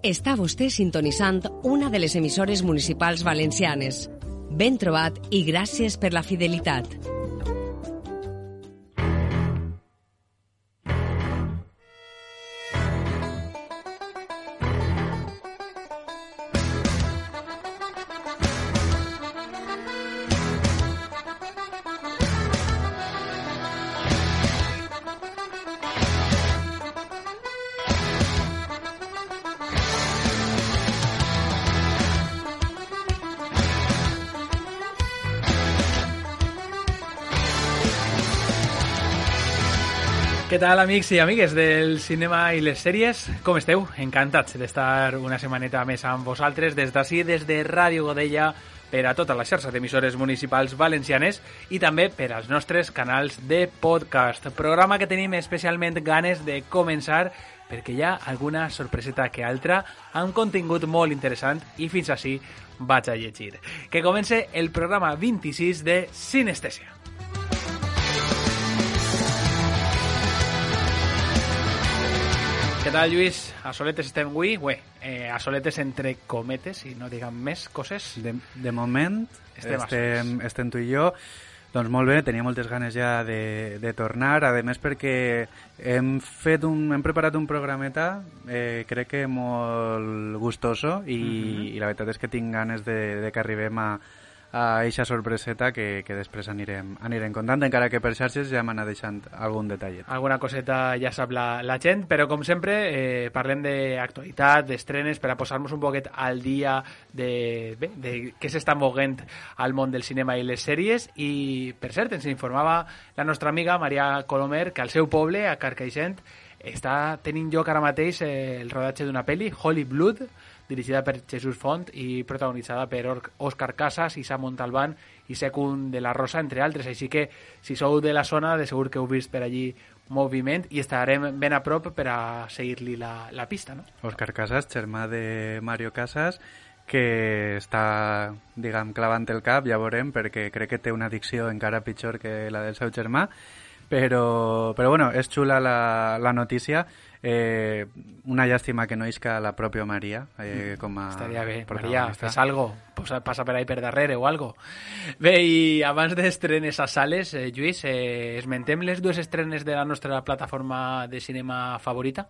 Està vostè sintonitzant una de les emissores municipals valencianes. Ben trobat i gràcies per la fidelitat. Què tal, amics i amigues del cinema i les sèries? Com esteu? Encantats d'estar una setmaneta més amb vosaltres des d'ací, des de Ràdio Godella, per a tota la xarxa d'emissores municipals valencianes i també per als nostres canals de podcast. Programa que tenim especialment ganes de començar perquè hi ha alguna sorpreseta que altra amb contingut molt interessant i fins ací vaig a llegir. Que comence el programa 26 de Sinestèsia. Què tal, Lluís? A soletes estem avui? Bé, a soletes entre cometes, i no diguem més coses. De moment estem tu i jo. Doncs molt bé, tenia moltes ganes ja de tornar, a més perquè hem preparat un programeta, crec que molt gustoso, i la veritat és que tinc ganes de que arribem a eixa sorpreseta que després anirem contant, encara que per xarxes ja m'anà deixant algun detallet. Alguna coseta ja sap la gent, però com sempre parlem d'actualitat, d'estrenes, per a posar-nos un poquet al dia de què s'està moguent al món del cinema i les sèries. I, per cert, ens informava la nostra amiga Maria Colomer que al seu poble, a Carcaixent, està tenint lloc ara mateix el rodatge d'una pel·li, Holy Blood, dirigida per Jesús Font i protagonitzada per Òscar Casas, Issa Montalbán i Secund de la Rosa, entre altres. Així que, si sou de la zona, de segur que heu vist per allí moviment i estarem ben a prop per a seguir-li la pista, no? Òscar Casas, germà de Mario Casas, que està, diguem, clavant el cap, ja veurem, perquè crec que té una addicció encara pitjor que la del seu germà. Però bueno, és xula la notícia. Una llàstima que no isca la pròpia Maria com a estaria bé, Maria, fes algo, passa per ahí per darrere o algo. Bé, i abans d'estrenes a sales, Lluís, esmentem les dues estrenes de la nostra plataforma de cinema favorita?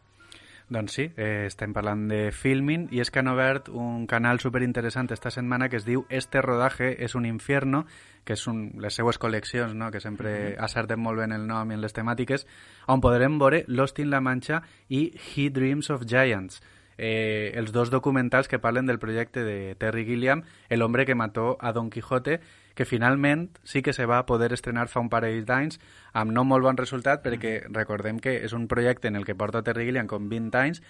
Doncs sí, estem parlant de Filmin, i és que han obert un canal superinteressant esta setmana que es diu Este rodaje es un infierno, que és les seues col·leccions, no?, que sempre acerten molt bé en el nom i en les temàtiques, on podrem veure Lost in La Mancha i He Dreams of Giants, els dos documentals que parlen del projecte de Terry Gilliam, El hombre que mató a Don Quijote, que finalment sí que se va poder estrenar fa un parell d'anys amb no molt bon resultat, perquè recordem que és un projecte en el que porta Terry Gilliam com 20 anys,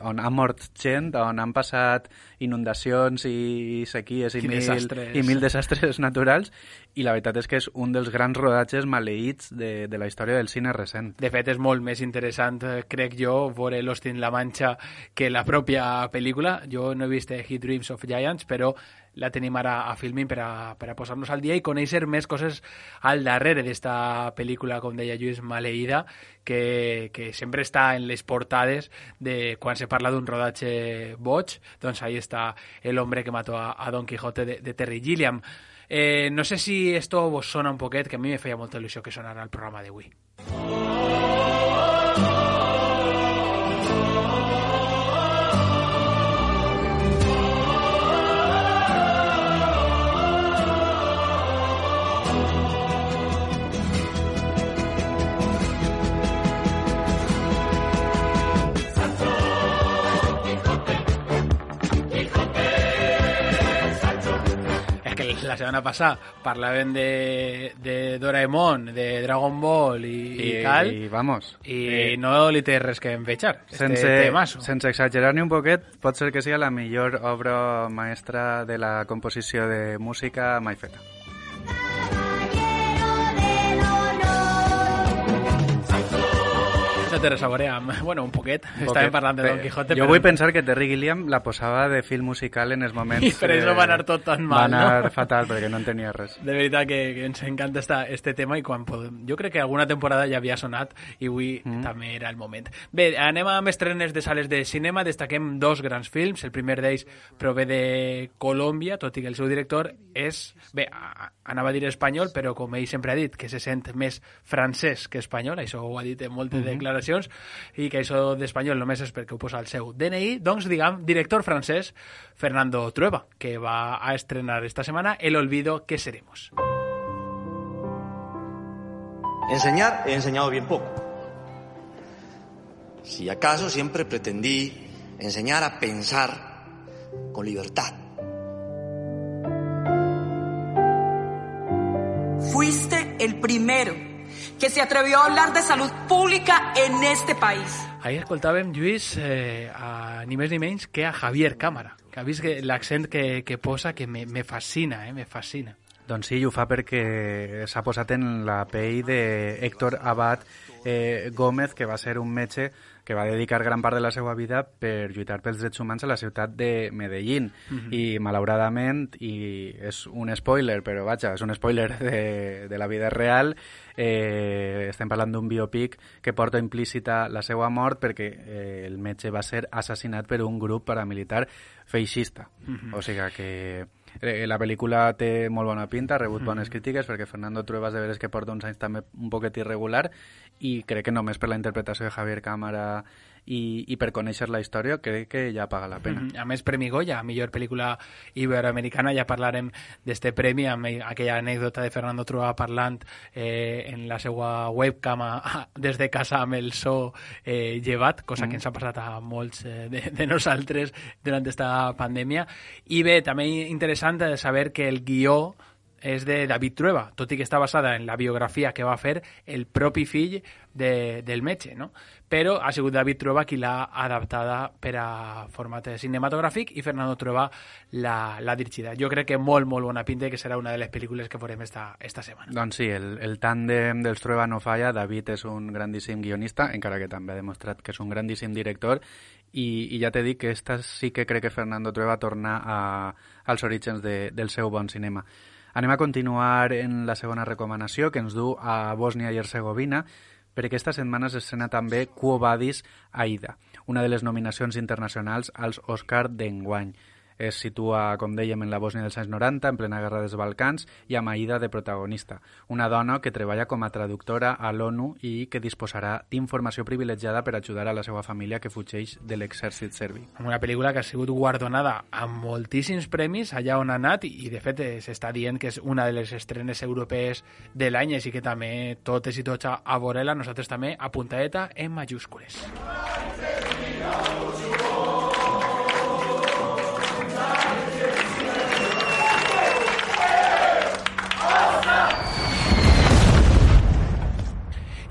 on ha mort gent, on han passat inundacions i sequies i mil desastres naturals, i la veritat és que és un dels grans rodatges maleïts de la història del cine recent. De fet, és molt més interessant, crec jo, veure Lost in La Mancha que la pròpia pel·lícula. Jo no he vist He Dreams of Giants, però la tenim ara a Filmin per a posar-nos al dia i conèixer més coses al darrere d'esta pel·lícula, com deia Lluís, maleïda, que sempre està en les portades de quan se parla d'un rodatge boig. Doncs ahí està El hombre que mató a Don Quijote de Terry Gilliam. No sé si esto vos sona un poquet, que a mi me feia molta il·lusió que sonara el programa d'avui. La setmana passada parlàvem de Doraemon, de Dragon Ball i tal, i no li té res que envejar. Sense exagerar ni un poquet, pot ser que sigui la millor obra maestra de la composició de música mai feta. té res a veure amb... Bueno, un poquet. Estàvem parlant de Don Quijote. Jo vull pensar que Terry Gilliam la posava de film musical en els moments... I per això va anar tot tan mal, va anar fatal, perquè no en tenia res. De veritat que ens encanta este tema i quan podem... Jo crec que alguna temporada ja havia sonat i avui també era el moment. Bé, anem amb estrenes de sales de cinema. Destaquem 2 grans films. El primer d'ells prové de Colòmbia, tot i que el seu director és... Bé, anava a dir espanyol, però com ell sempre ha dit, que se sent més francès que espanyol, això ho ha dit en moltes declaracions, i que això d'espanyol només és perquè ho posa al seu DNI, doncs, diguem, director francès Fernando Trueba, que va a estrenar esta semana El olvido que seremos. Enseñar he enseñado bien poco. Si acaso siempre pretendí enseñar a pensar con libertad. Fuiste el primero que se atrevió a hablar de salud pública en este país. Ahir escoltàvem, Lluís, ni més ni menys que a Javier Cámara, que ha vist l'accent que posa, que me fascina, me fascina. Doncs sí, ho fa perquè s'ha posat en la pell d'Héctor Abad Gómez, que va ser un metge que va dedicar gran part de la seva vida per lluitar pels drets humans a la ciutat de Medellín. I malauradament, i és un spoiler, però vaja, és un spoiler de la vida real, estem parlant d'un biopic que porta implícita la seva mort perquè el metge va ser assassinat per un grup paramilitar feixista. O sigui que la pel·lícula té molt bona pinta, ha rebut bones crítiques perquè Fernando Trueba és de veres que porta uns anys també un poquet irregular i crec que només per la interpretació de Javier Cámara i per conèixer la història crec que ja paga la pena. A més, Premi Goya, millor pel·lícula iberoamericana, ja parlarem d'este premi amb aquella anècdota de Fernando Trueba parlant en la seva webcam des de casa amb el so llevat, cosa que ens ha passat a molts de nosaltres durant esta pandèmia. I bé, també interessant saber que el guió és de David Trueba, tot i que està basada en la biografia que va fer el propi fill del metge, no? Però ha sigut David Trueba qui l'ha adaptada per a format cinematogràfic i Fernando Trueba l'ha dirigida. Jo crec que molt bona pinta i que serà una de les pel·lícules que veurem esta setmana. Doncs sí, el tàndem dels Trueba no falla. David és un grandíssim guionista, encara que també ha demostrat que és un grandíssim director, i ja t'he dit que esta sí que crec que Fernando Trueba torna als orígens del seu bon cinema. Anem a continuar en la segona recomanació, que ens du a Bòsnia i Hercegovina, perquè aquesta setmana s'estrena també Quo Vadis, Aida, una de les nominacions internacionals als Òscar d'enguany. Es situa, com dèiem, en la Bòsnia dels anys 90, en plena guerra dels Balcans, i amb Aida de protagonista. Una dona que treballa com a traductora a l'ONU i que disposarà d'informació privilegiada per ajudar a la seva família que fugeix de l'exèrcit serbi. Una pel·lícula que ha sigut guardonada amb moltíssims premis allà on ha anat i de fet s'està dient que és una de les estrenes europees de l'any, així que també totes i tots a veure-la, nosaltres també apuntadeta en majúscules.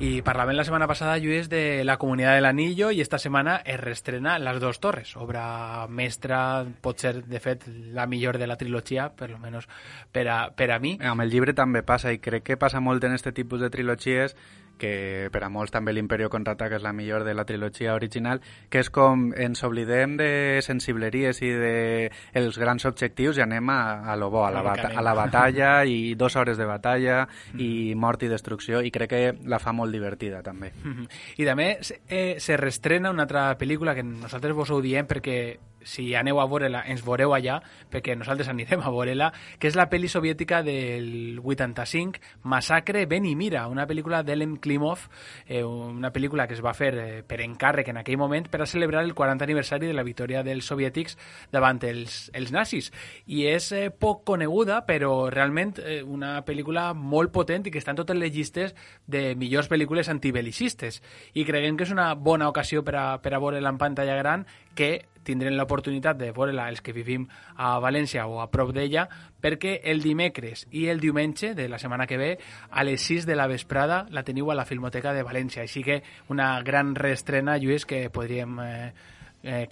I parlàvem la setmana passada, Lluís, de La Comunitat del Anillo, i esta setmana es reestrena Las dos torres, obra mestra, pot ser, de fet, la millor de la trilogia, per almenys per a mi. Amb el llibre també passa, i crec que passa molt en aquest tipus de trilogies, que per a molts també l'Imperio contraataca és la millor de la trilogia original, que és com ens oblidem de sensibleries i dels grans objectius i anem a lo bo, a la batalla i 2 hores de batalla i mort i destrucció, i crec que la fa molt divertida també. I també se reestrena una altra pel·lícula que nosaltres vos ho diem perquè si aneu a veure-la, ens veureu allà, perquè nosaltres anirem a veure-la, que és la pel·li soviètica del 85, Massacre Ben i Mira, una pel·lícula d'Ellen Klimov, una pel·lícula que es va fer per encàrrec en aquell moment per a celebrar el 40 aniversari de la victòria dels soviètics davant els nazis. I és poc coneguda, però realment una pel·lícula molt potent i que està en totes les llistes de millors pel·lícules antibelicistes. I creiem que és una bona ocasió per a veure-la en pantalla gran, que tindrem l'oportunitat de veure-la els que vivim a València o a prop d'ella, perquè el dimecres i el diumenge de la setmana que ve a les 6 de la vesprada la teniu a la Filmoteca de València. Així que una gran reestrena, Lluís, que podríem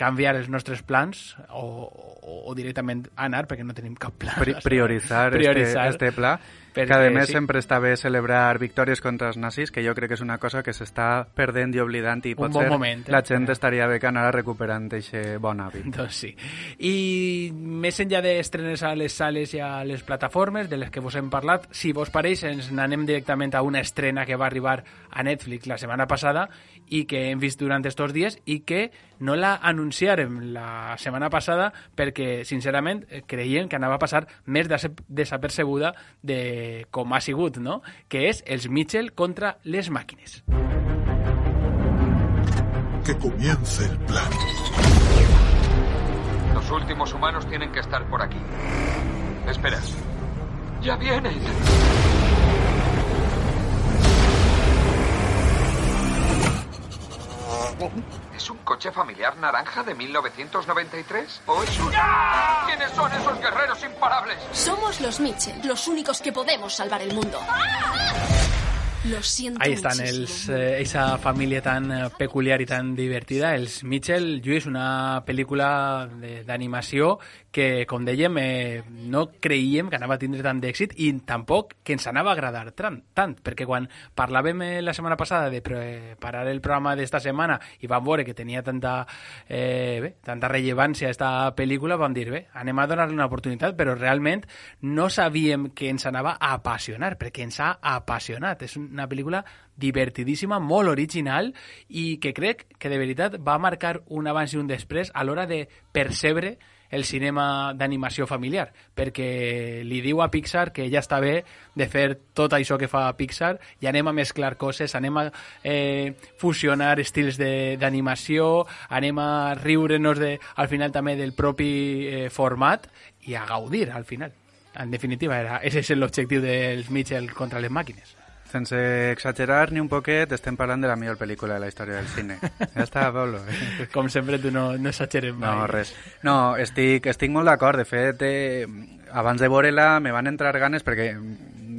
canviar els nostres plans o directament anar, perquè no tenim cap pla. Prioritzar este pla. Que a més sempre està bé celebrar victòries contra els nazis, que jo crec que és una cosa que s'està perdent i oblidant i potser la gent estaria bé que anara recuperant aquest bon hàbit. Doncs sí. I més enllà d'estrenes a les sales i a les plataformes de les que vos hem parlat, si vos pareix ens n'anem directament a una estrena que va arribar a Netflix la setmana passada i que hem vist durant estos dies i que no la anunciarem la setmana passada perquè, sincerament, creiem que anava a passar més desapercebuda de com ha sigut, ¿no? Que és els Mitchell contra les màquines. Que comience el plan. Los últimos humanos tienen que estar por aquí. Esperas. ¡Ya vienen! ¿Es un coche familiar naranja de 1993? ¿O es un... ¡Ah! ¿Quiénes son esos guerreros imparables? Somos los Mitchell, los únicos que podemos salvar el mundo. Lo siento. Ahí estan esa família tan peculiar i tan divertida, els Mitchell. Lluís, una pel·lícula d'animació que, com dèiem, no creiem que anava a tindre tant d'èxit i tampoc que ens anava a agradar tant, perquè quan parlàvem la setmana passada de preparar el programa d'esta setmana i vam veure que tenia tanta rellevància esta pel·lícula, vam dir, anem a donar-li una oportunitat, però realment no sabíem que ens anava a apassionar, perquè ens ha apassionat. És una pel·lícula divertidíssima, molt original i que crec que de veritat va marcar un abans i un després a l'hora de percebre el cinema d'animació familiar, perquè li diu a Pixar que ja està bé de fer tot això que fa Pixar i anem a mesclar coses, anem a fusionar estils d'animació, anem a riure'ns al final també del propi format i a gaudir al final. En definitiva, ese és l'objectiu dels Mitchell contra les màquines. Sense exagerar ni un poquet, estem parlant de la millor pel·lícula de la història del cine. Ja està, Pablo. Com sempre, tu no exageres mai. No, res. No, estic molt d'acord. De fet, abans de veure-la me van entrar ganes perquè,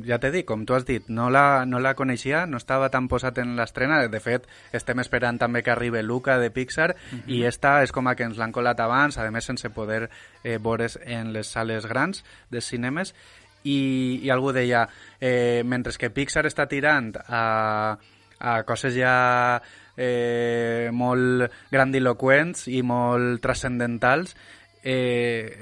ja t'he dit, com tu has dit, no la coneixia, no estava tan posat en l'estrena. De fet, estem esperant també que arribi Luca de Pixar i esta és com a que ens l'han colat abans, a més sense poder veure's en les sales grans dels cinemes. I algú deia, mentre que Pixar està tirant a coses ja molt grandiloquents i molt transcendentals,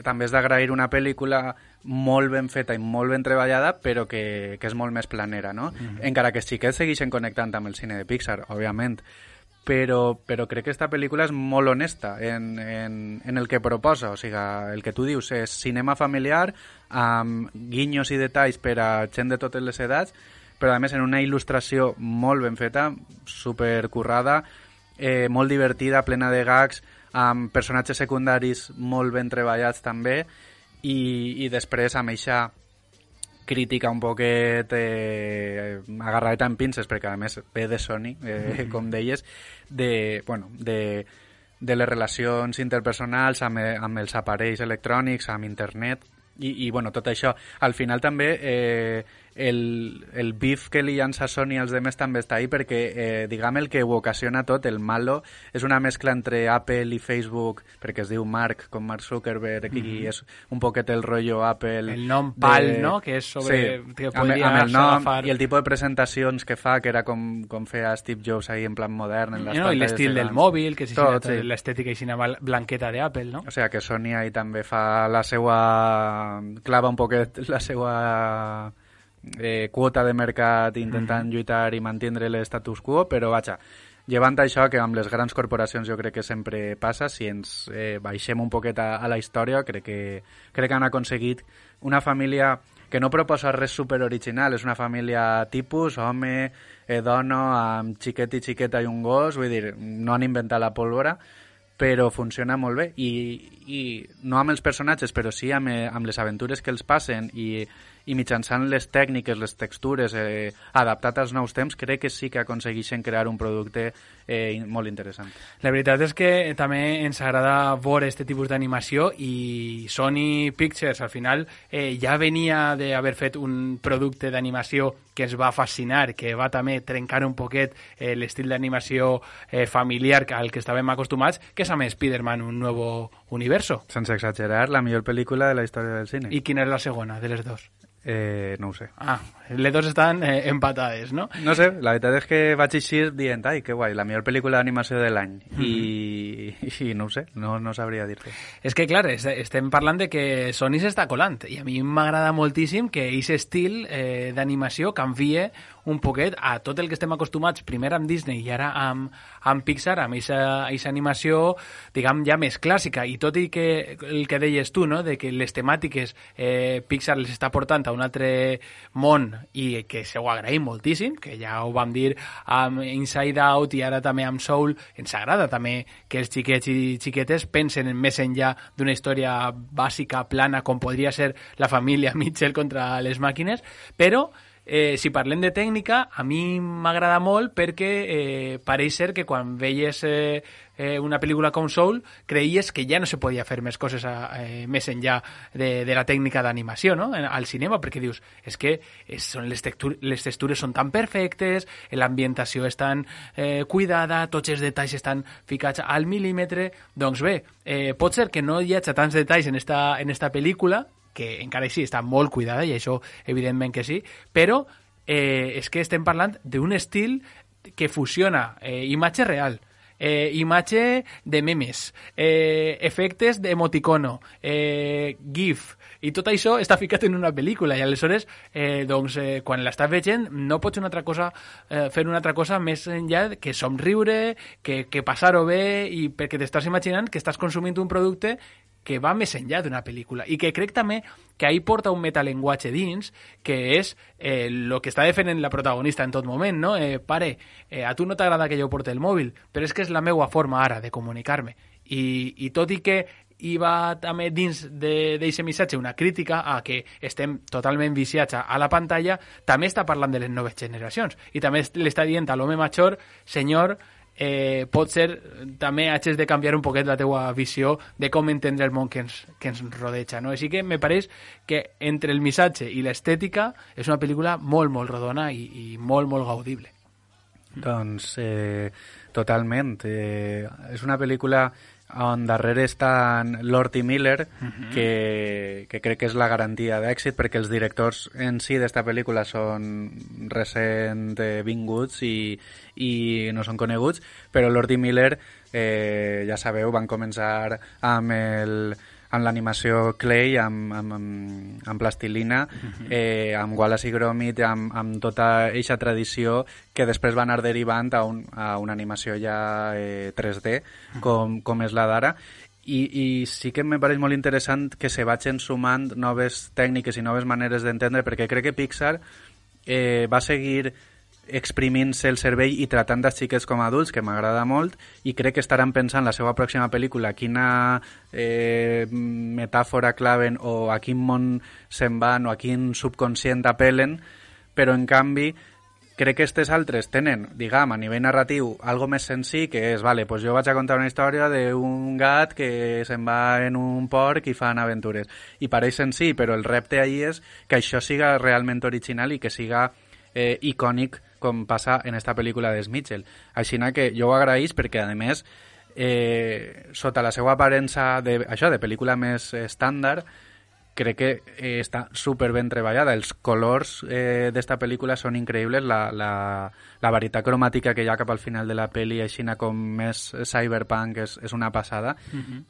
també és d'agrair una pel·lícula molt ben feta i molt ben treballada, però que és molt més planera, no? Encara que els xiquets segueixen connectant amb el cine de Pixar, òbviament, però crec que aquesta pel·lícula és molt honesta en el que proposa, o sigui, el que tu dius és cinema familiar amb guinyos i detalls per a gent de totes les edats, però a més en una il·lustració molt ben feta, supercurrada, molt divertida, plena de gags, amb personatges secundaris molt ben treballats també, i després amb eixa crítica un poquet agarradeta en pinces, perquè a més ve de Sony, com deies, de les relacions interpersonals amb els aparells electrònics, amb internet, i bueno, tot això. Al final també el beef que li llança Sony als demés també està ahí perquè, diguem, el que ho ocasiona tot, el malo, és una mescla entre Apple i Facebook, perquè es diu Mark, com Mark Zuckerberg, i és un poquet el rotllo Apple. El nom PAL, no?, que és sobre... Sí, que amb el nom i el tipus de presentacions que fa, que era com feia Steve Jobs ahí en plan modern. En les I l'estil del mòbil, que és l'estètica i blanqueta d'Apple, no? O sigui que Sony ahí també fa la seva... clava un poquet la seva quota de mercat intentant lluitar i mantindre l'estatus quo, però vaja, llevant això, que amb les grans corporacions jo crec que sempre passa, si ens baixem un poquet a la història, crec que han aconseguit una família que no proposa res superoriginal, és una família tipus, home, dona, amb xiquet i xiqueta i un gos, vull dir, no han inventat la pólvora, però funciona molt bé, i no amb els personatges, però sí amb les aventures que els passen, i mitjançant les tècniques, les textures, adaptat als nous temps, crec que sí que aconsegueixen crear un producte molt interessant. La veritat és que també ens agrada veure aquest tipus d'animació, i Sony Pictures al final ja venia d'haver fet un producte d'animació que ens va fascinar, que va també trencar un poquet l'estil d'animació familiar al que estàvem acostumats, que és amb Spider-Man, un nou universo. Sense exagerar, la millor pel·lícula de la història del cine. I quina és la segona de les dos? No ho sé. Les dos estan empatades, no? No sé, la veritat és que vaig eixir dient, ai, que guai, la millor pel·lícula d'animació de l'any. I no ho sé, no sabria dir-te. És que, clar, estem parlant de que Sony s'està colant, i a mi m'agrada moltíssim que aquest estil d'animació canvie un poquet a tot el que estem acostumats, primer amb Disney i ara amb Pixar, amb aquesta animació, diguem, ja més clàssica, i tot i que el que deies tu, no?, de que les temàtiques Pixar les està portant a un altre món i que se ho agraïm moltíssim, que ja ho vam dir amb Inside Out i ara també amb Soul, ens agrada també que els xiquets i xiquetes pensen més enllà d'una història bàsica, plana, com podria ser la família Mitchell contra les màquines, però si parlem de tècnica, a mi m'agrada molt perquè pareix ser que quan veies una pel·lícula com Soul creies que ja no se podia fer més coses més enllà de la tècnica d'animació, no?, al cinema, perquè dius, és que les textures són tan perfectes, l'ambientació és tan cuidada, tots els detalls estan ficats al mil·límetre. Doncs bé, pot ser que no hi hagi tants detalls en esta pel·lícula, que encara així està molt cuidada, i això evidentment que sí, però és que estem parlant d'un estil que fusiona imatge real, imatge de memes, efectes d'emoticono, GIF, i tot això està ficat en una pel·lícula, i aleshores quan l'estàs veient no pots fer una altra cosa més enllà que somriure, que passar-ho bé, i perquè t'estàs imaginant que estàs consumint un producte que va més enllà d'una pel·lícula, i que crec també que ahí porta un metallenguatge dins, que és el que està defendent la protagonista en tot moment, no? Pare, a tu no t'agrada que jo porti el mòbil, però és que és la meva forma ara de comunicar-me. I tot i que hi va també dins d'aquest missatge una crítica a que estem totalment viciats a la pantalla, també està parlant de les noves generacions, i també l'està dient a l'home major, senyor, pot ser també hagis de canviar un poquet la teua visió de com entendre el món que ens rodeja, no? Així que me pareix que entre el missatge i l'estètica és una pel·lícula molt, molt rodona i molt, molt gaudible. Doncs totalment. És una pel·lícula on darrere estan Lord i Miller, que crec que és la garantia d'èxit, perquè els directors en si d'esta pel·lícula són recent vinguts i no són coneguts, però Lord i Miller, ja sabeu, van començar amb l'animació clay, amb plastilina, amb Wallace i Gromit, amb tota eixa tradició que després va anar derivant a una animació ja 3D, com és la d'ara. I sí que me pareix molt interessant que se vagin sumant noves tècniques i noves maneres d'entendre, perquè crec que Pixar va seguir exprimint-se el cervell i tratant els xiquets com a adults, que m'agrada molt, i crec que estaran pensant la seva pròxima pel·lícula quina metàfora claven o a quin món se'n van o a quin subconscient apel·len, però en canvi crec que aquestes altres tenen, diguem, a nivell narratiu algo més senzill, que és, vale, pues jo vaig a contar una història d'un gat que se'n va en un porc i fan aventures, i pareix senzill, però el repte ahí és que això siga realment original i que siga icònic, com passa en esta pel·lícula de Mitchell. Així que jo ho agraïs perquè, a més, sota la seva aparença de pel·lícula més estàndard, crec que està super ben treballada. Els colors d'esta pel·lícula són increïbles, la varietat cromàtica que hi ha cap al final de la pel·li, així com més cyberpunk, és una passada,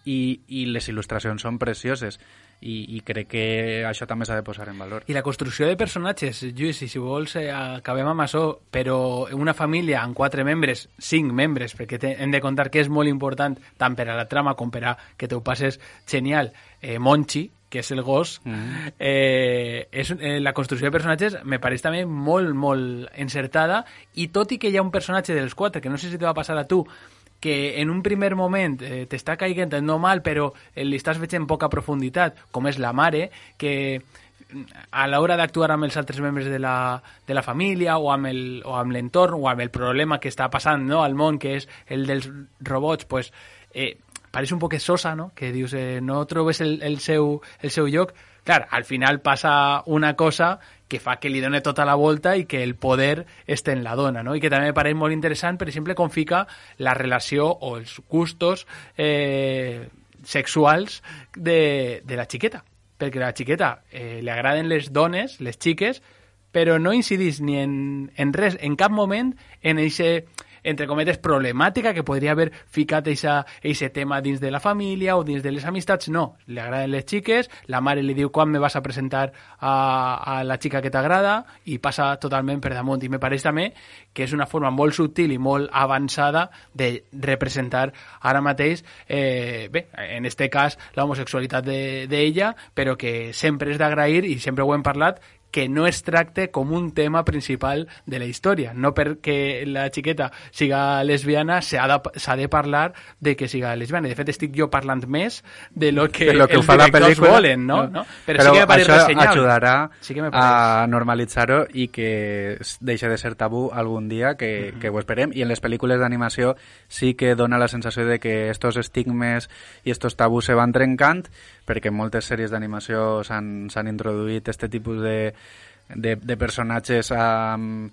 i les il·lustracions són precioses. I crec que això també s'ha de posar en valor. I la construcció de personatges, Lluís, i si vols acabem amb això, però una família amb 4 membres, 5 membres, perquè hem de contar que és molt important tant per a la trama com per a que te ho passes genial, Monchi, que és el gos, la construcció de personatges me pareix també molt, molt encertada, i tot i que hi ha un personatge dels 4, que no sé si te va passar a tu, que en un primer moment t'està caiguent no mal, però li estàs veient poca profunditat, com és la mare, que a l'hora d'actuar amb els altres membres de la família o amb l'entorn o amb el problema que està passant, no, al món, que és el dels robots, pues, pareix un poc sosa, no? Que dius, no trobes el seu lloc. Clar, al final passa una cosa que fa que li doni tota la volta i que el poder esté en la dona, no? I que també me pareix molt interessant, per exemple, com fica la relació o els gustos sexuals de la xiqueta. perquè la xiqueta li agraden les dones, les xiques, però no incidís ni en res, en cap moment, en eixe, entre cometes, problemàtica que podria haver ficat eixe tema dins de la família o dins de les amistats. No, li agraden les xiques, la mare li diu quan me vas a presentar a la xica que t'agrada i passa totalment per damunt. I me pareix també que és una forma molt subtil i molt avançada de representar ara mateix, en este cas, l'homosexualitat d'ella, però que sempre és d'agrair, i sempre ho hem parlat, que no es tracte com un tema principal de la història. No perquè la xiqueta siga lesbiana s'ha de parlar de que siga lesbiana. De fet, estic jo parlant més de lo que els directors volen, no? Però sí que me pareix ressenyable. Això ajudarà a normalitzar-ho i que deixi de ser tabú algun dia, que ho esperem. I en les pel·lícules d'animació sí que dona la sensació de que estos estigmes i estos tabús se van trencant, perquè en moltes sèries d'animació s'han introduït este tipus de personatges amb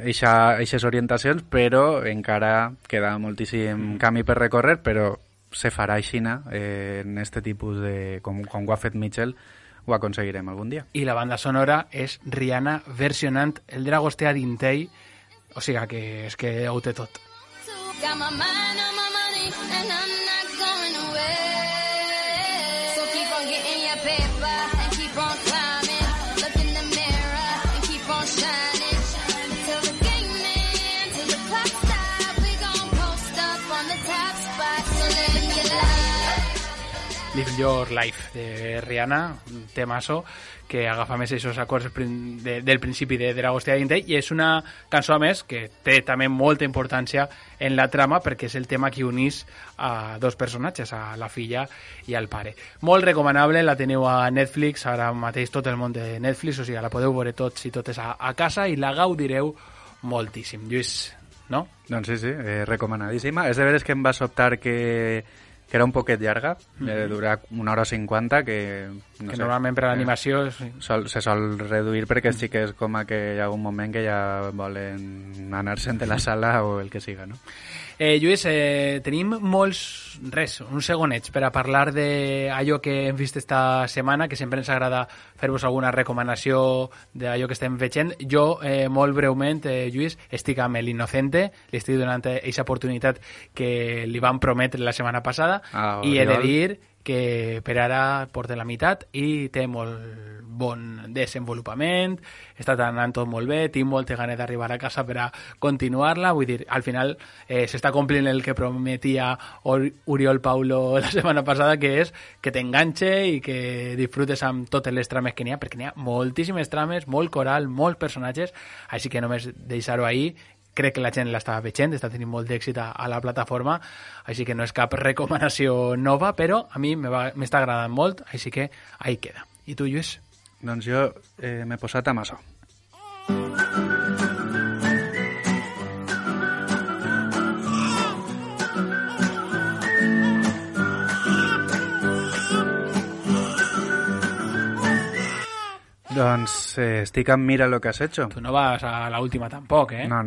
eixes orientacions, però encara queda moltíssim camí per recórrer, però se farà aixina en este tipus de... com ho ha fet Mitchell, ho aconseguirem algun dia. I la banda sonora és Rihanna versionant el Dragostea d'Intei, o sigui que és que ho té tot. Got my mind on my money and I'm not going away. So keep on getting your paper and keep on climbing. Look in the mirror and keep on shining. Till the game ends, till the clock stops, we gon' post up on the top spot. So live your life. Live Your Life de Rihanna, un temazo que agafa més aquests acords del principi de Dragostea d'Intei, i és una cançó, a més, que té també molta importància en la trama, perquè és el tema que unís a dos personatges, a la filla i al pare. Molt recomanable, la teniu a Netflix, ara mateix tot el món de Netflix, o sigui, la podeu veure tots i totes a casa i la gaudireu moltíssim. Lluís, no? Doncs sí, recomanadíssima. És de veres que em va sobtar que era un poquet llarga, dura 1h50, que no sé, normalment per a l'animació se sol reduir perquè sí que és com que hi ha un moment que ja volen anar-se'n de la sala o el que siga, no? Lluís, tenim uns segonets per a parlar d'allò que hem vist esta setmana, que sempre ens agrada fer-vos alguna recomanació d'allò que estem veient. Jo, molt breument, Lluís, estic amb l'Innocente, li estic donant aquesta oportunitat que li vam prometre la setmana passada, i he de dir que per ara porta la meitat i té molt bon desenvolupament, està anant tot molt bé, tinc moltes ganes d'arribar a casa per a continuar-la, vull dir, al final s'està complint el que prometia Oriol Paulo la setmana passada, que és que t'enganxe i que disfrutes amb totes les trames que n'hi ha, perquè n'hi ha moltíssimes trames, molt coral, molts personatges, així que només deixar-ho ahí. Crec que la gent l'està veient, està tenint molt d'èxit a la plataforma, així que no és cap recomanació nova, però a mi m'està agradant molt, així que ahí queda. I tu, Lluís? Doncs jo m'he posat a Masó. Doncs estic amb Mira lo que has hecho. Tu no vas a la última tampoc, eh? No,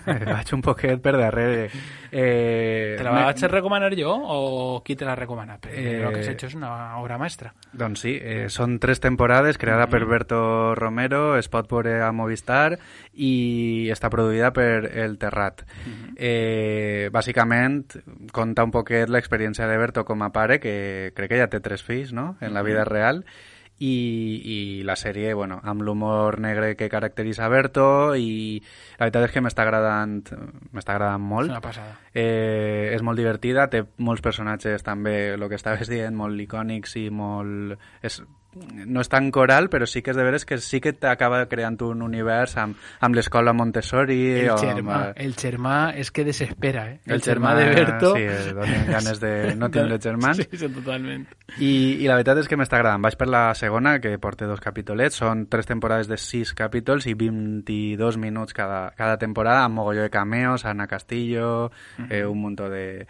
vaig un poquet per darrere. ¿Te la vaig a recomanar jo o qui te la recomana? Perquè lo que has hecho és una obra maestra. Doncs sí, són 3 temporades, creada per Berto Romero, es pot veure a Movistar i està produïda per El Terrat. Bàsicament conta un poquet l'experiència de Berto com a pare, que crec que ja té 3 fills, no?, en la vida real, i la sèrie, bueno, amb l'humor negre que caracteritza Berto, i la veritat és que m'està agradant molt. És una passada. És molt divertida, té molts personatges també, el que estaves dient, molt icònics i molt... no és tan coral, però sí que és de veres que sí que t'acaba creant un univers amb l'escola Montessori. El germà és que desespera, eh? El germà de Berto... Sí, donen ganes de no tindre germans. Sí, totalment. I la veritat és que m'està agradant. Vaig per la segona, que porta 2 capítolets. Són 3 temporades de 6 capítols i 22 minuts cada temporada, amb mogolló de cameos, Ana Castillo, un muntó de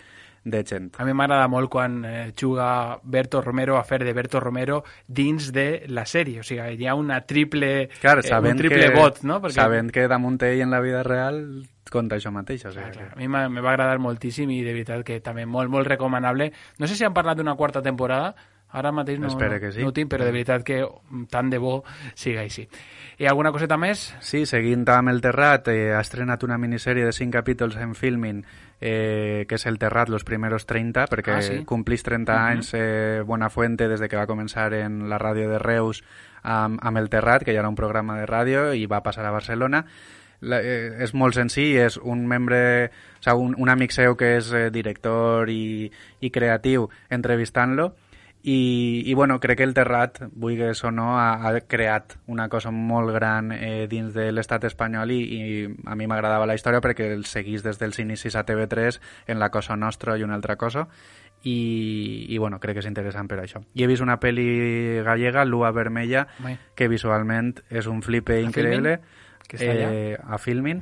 gent. A mi m'agrada molt quan juga Berto Romero a fer de Berto Romero dins de la sèrie, o sigui, hi ha una triple vot, no? Perquè... Sabent que damunt ell en la vida real conta això mateix. O sigui, clar. A mi me va agradar moltíssim i de veritat que també molt, molt recomanable. No sé si han parlat d'una 4ª temporada, Ara mateix no ho tinc, però de veritat que tant de bo siga així. I alguna coseta més? Sí, seguint amb El Terrat, ha estrenat una minissèrie de 5 capítols en Filmin, que és El Terrat, los primeros 30, perquè complís 30 anys Buenafuente des de que va començar en la ràdio de Reus amb El Terrat, que ja era un programa de ràdio, i va passar a Barcelona. És molt senzill, és un membre, o sigui, un amic seu que és director i creatiu entrevistant-lo, i bueno, crec que El Terrat, vulguis o no, ha creat una cosa molt gran dins de l'estat espanyol, i a mi m'agradava la història perquè el seguís des dels inicis a TV3 en La Cosa Nostra i una altra cosa, i bueno, crec que és interessant per això. I he vist una pel·li gallega, Lua Vermella, que visualment és un flipe increïble. A Filmin.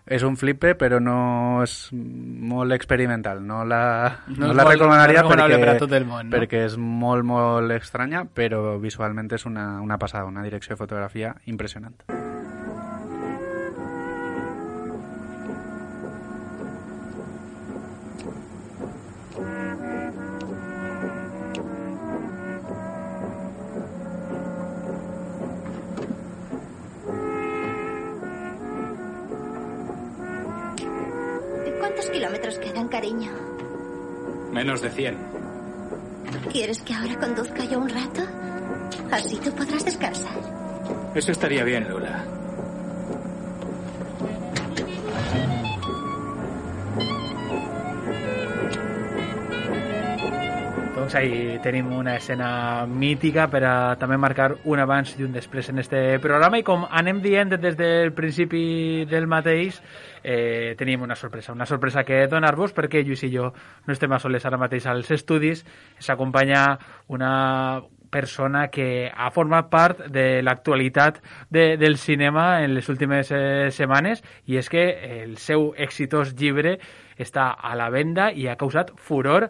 És un flipe, però no és molt experimental. No la recomanaria perquè és molt, molt estranya, però visualment és una passada, una direcció de fotografia impressionant. ¿Cuántos kilómetros quedan, cariño? Menos de 100. ¿Quieres que ahora conduzca yo un rato? Así tú podrás descansar. Eso estaría bien, Lula. Doncs ahí tenim una escena mítica per a també marcar un abans i un després en este programa, i com anem dient des del principi del mateix, tenim una sorpresa que donar-vos, perquè Lluís i jo no estem a soles ara mateix als estudis. S'acompanya una persona que ha format part de l'actualitat del cinema en les últimes setmanes, i és que el seu exitós llibre està a la venda i ha causat furor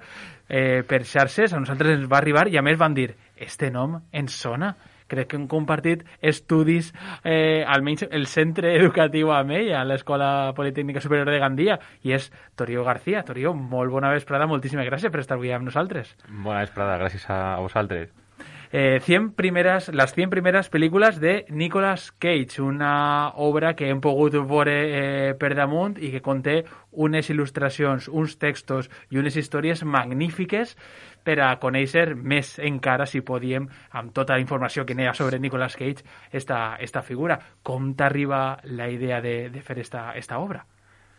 per xarxes. A nosaltres ens va arribar i a més van dir, este nom ens sona. Crec que hem compartit estudis, almenys el centre educatiu amb ell, a l'Escola Politècnica Superior de Gandia, i és Torio García. Torio, molt bona vesprada, moltíssimes gràcies per estar avui amb nosaltres. Bona vesprada, gràcies a vosaltres. Las 100 primeras películas de Nicolas Cage, una obra que hem pogut veure per damunt i que conté unes il·lustracions, uns textos i unes històries magnífiques per a conèixer més encara, si podíem, amb tota la informació que n'hi ha sobre Nicolas Cage, esta figura. Com t'arriba la idea de fer esta obra?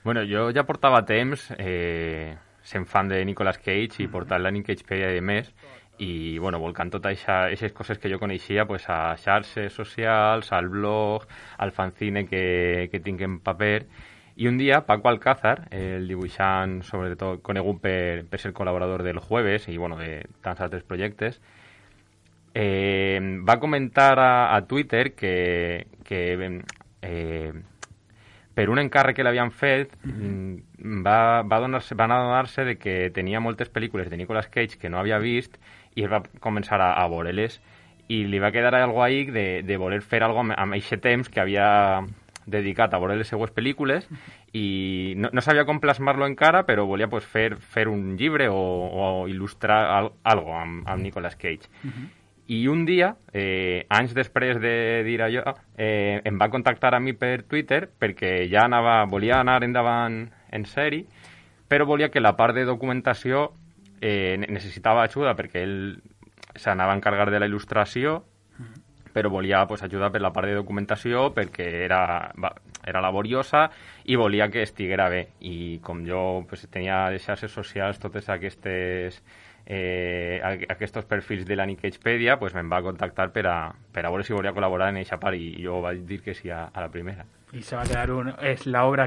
Bueno, jo ja portava temps sent fan de Nicolas Cage i portant la Nicagepedia i més, i bueno, volcant totes aquestes coses que jo coneixia pues, a xarxes socials, al blog, al fanzine que tinc en paper. I un dia Paco Alcázar, el dibuixant sobretot conegut per ser col·laborador del Jueves i bueno, de tants altres projectes, va comentar a Twitter que per un encàrrec que l'havien fet van adonar-se de que tenia moltes pel·lícules de Nicolas Cage que no havia vist, i va començar a veure-les, i li va quedar algo ahí de voler fer algo amb aquest temps que havia dedicat a veure les seues pel·lícules, i no sabia com plasmar-lo encara, però volia pues, fer un llibre o il·lustrar algo amb Nicolas Cage. I un dia, anys després de dir allò, em va contactar a mi per Twitter perquè ja volia anar endavant en sèrie, però volia que la part de documentació necessitava ajuda perquè ell s'anava a encarregar de la il·lustració, però volia pues, ajuda per la part de documentació perquè era laboriosa i volia que estiguera bé. I com jo pues, tenia les xarxes socials totes aquests perfils de la Nicagepedia, pues, me'n va contactar per a veure si volia col·laborar en aquesta part, i jo vaig dir que sí a la primera. I se va quedar és l'obra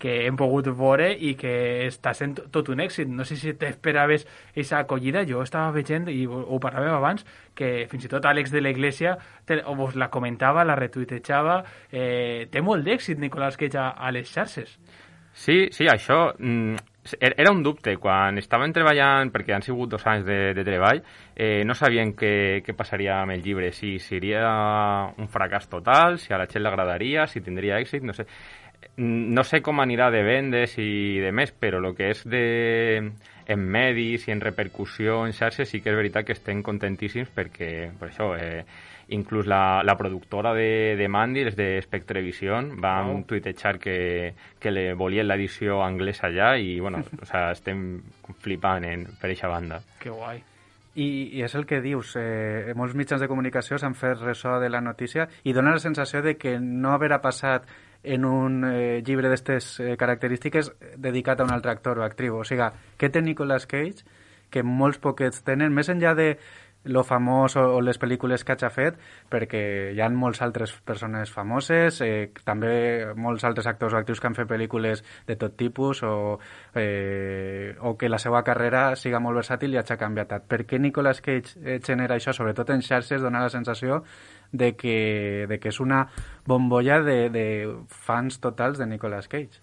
que hem pogut veure i que està sent tot un èxit. No sé si t'esperaves aquesta acollida. Jo estava veient, i ho parlàvem abans, que fins i tot Àlex de la Iglesia vos la comentava, la retuitejava. Té molt d'èxit Nicolas Cage a les xarxes. Sí, això era un dubte. Quan estàvem treballant, perquè han sigut 2 anys de treball, no sabien què passaria amb el llibre, si seria un fracàs total, si a la gent l'agradaria, si tindria èxit, no sé. no sé com anirà de vendes i de més, però el que és en medis i en repercussió en xarxes sí que és veritat que estem contentíssims perquè, per això, inclús la productora de Mandy, les de Spectrevision, van tuitejar que le volien l'edició anglesa allà i, bueno, o sea, estem flipant per eixa banda. Que guai. I és el que dius, molts mitjans de comunicació s'han fet ressò de la notícia i dona la sensació de que no haverà passat en un llibre d'aquestes característiques dedicat a un altre actor o actriu. O sigui, què té Nicolas Cage que molts poquets tenen, més enllà de lo famós o les pel·lícules que hagi fet, perquè hi ha molts altres persones famoses, també molts altres actors o actrius que han fet pel·lícules de tot tipus o que la seva carrera siga molt versàtil i hagi canviat tant. Per què Nicolas Cage genera això? Sobretot en xarxes dona la sensació de que és una bombolla de fans totals de Nicolas Cage.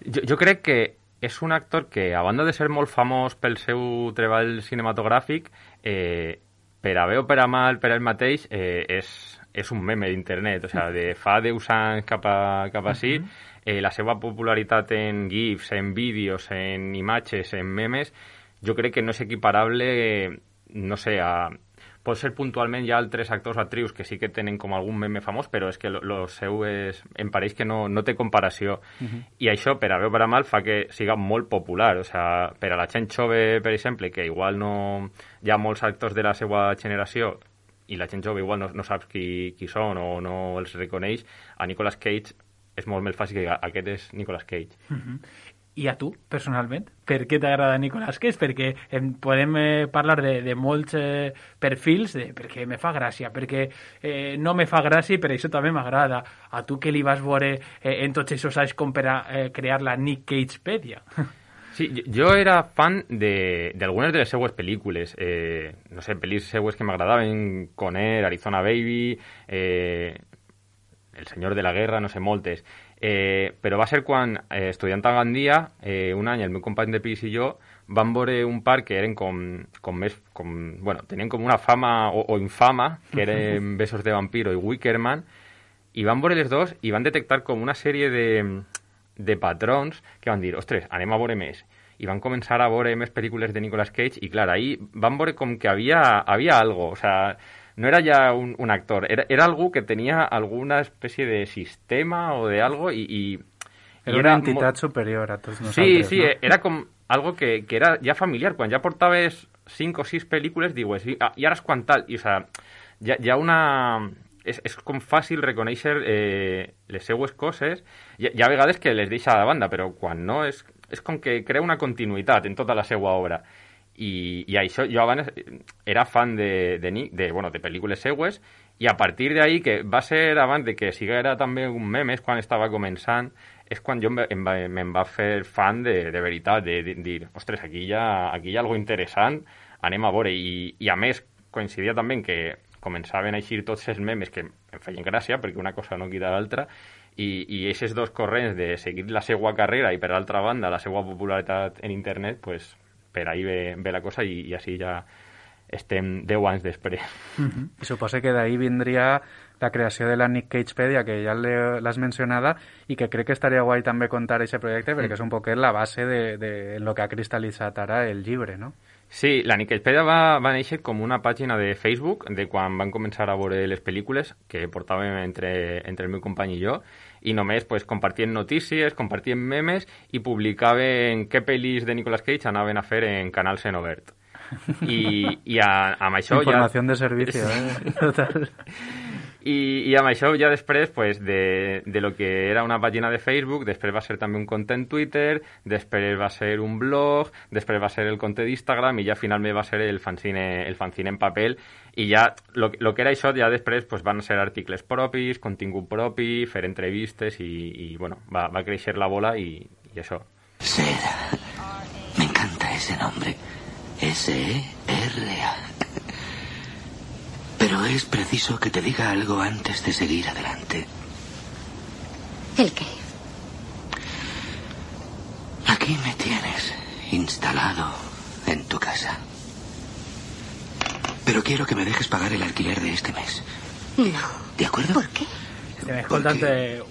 Jo crec que és un actor que, a banda de ser molt famós pel seu treball cinematogràfic, per a bé o per a mal, per a ell mateix, és un meme d'internet. O sigui, de fa 10 anys cap a sí, la seva popularitat en GIFs, en vídeos, en imatges, en memes, jo crec que no és equiparable, no sé, pot ser puntualment hi ha altres actors o actrius que sí que tenen com algun meme famós, però és que lo seu em pareix que no té comparació. I això, per a bé o per a mal, fa que siga molt popular. O sigui, per a la gent jove, per exemple, que igual no hi ha molts actors de la seva generació i la gent jove igual no saps qui són o no els reconeix, a Nicolas Cage és molt més fàcil que aquest és Nicolas Cage. I a tu, personalment, per què t'agrada Nicolas Cage? Perquè podem parlar de molts perfils, perquè me fa gràcia, perquè no me fa gràcia i per això també m'agrada. A tu que li vas veure en tots aquests anys com per a crear la Nick Cagepedia? Sí, jo era fan d'algunes de les seues pel·lícules. No sé, pel·lis seues que m'agradaven, Conner, Arizona Baby, El senyor de la guerra, no sé, moltes. Però va ser quan, estudiant a Gandia, un any el meu company de pis i jo vam veure un par que eren tenien com una fama o infama, que eren Besos de vampiro i Wickerman, i van veure les dos i van detectar com una sèrie de patrons que van dir, ostres, anem a veure més. I van començar a veure més pel·lícules de Nicolas Cage i, clar, ahí van veure com que havia algo, o sea, no era ja un actor, era algú que tenia alguna espècie de sistema o de algo i era una entitat superior a tots nosaltres. Sí, ¿no? Era com algo que era ja familiar. Quan ja portaves 5 o 6 pel·lícules, dius, i ara és quan tal. I, o sea, hi ha una... És com fàcil reconèixer les seues coses. Hi ha vegades que les deixa de banda, però quan no és com que crea una continuïtat en tota la seva obra. I això, jo abans era fan de pel·lícules seues i a partir d'ahí, que va ser abans de que siguera també un meme, quan estava començant, és quan jo me'n va fer fan de veritat, de dir, ostres, aquí hi ha algo interessant, anem a veure. I a més, coincidia també que començaven a eixir tots els memes que em feien gràcia, perquè una cosa no quita l'altra, i aquests dos corrents de seguir la seva carrera i, per altra banda, la seva popularitat en internet, pues, per ahí ve la cosa i així ja estem 10 anys després. I suposo que d'ahí vindria la creació de la Nick Cagepedia, que ja l'has mencionada, i que crec que estaria guai també contar aquest projecte, perquè és un poquet la base de lo que ha cristal·litzat ara el llibre, no? Sí, la Nick Cagepedia va néixer com una pàgina de Facebook de quan van començar a veure les pel·lícules que portàvem entre el meu company i jo, i només pues, compartien notícies, compartien memes i publicaven què pel·lis de Nicolas Cage anaven a fer en canals en obert. I amb això informació de servici, total. I amb això ja després pues, de lo que era una pàgina de Facebook, després va ser també un compte en Twitter, després va ser un blog, després va ser el compte d'Instagram i ja finalment va ser el fanzine en paper. I ja lo que era això ja després pues, van ser articles propis, contingut propi, fer entrevistes i bueno, va créixer la bola i això. Seda. Me encanta ese nombre. S-E-R-A. Pero es preciso que te diga algo antes de seguir adelante. ¿El qué? Aquí me tienes, instalado en tu casa. Pero quiero que me dejes pagar el alquiler de este mes. No. ¿De acuerdo? ¿Por qué? Estem escoltant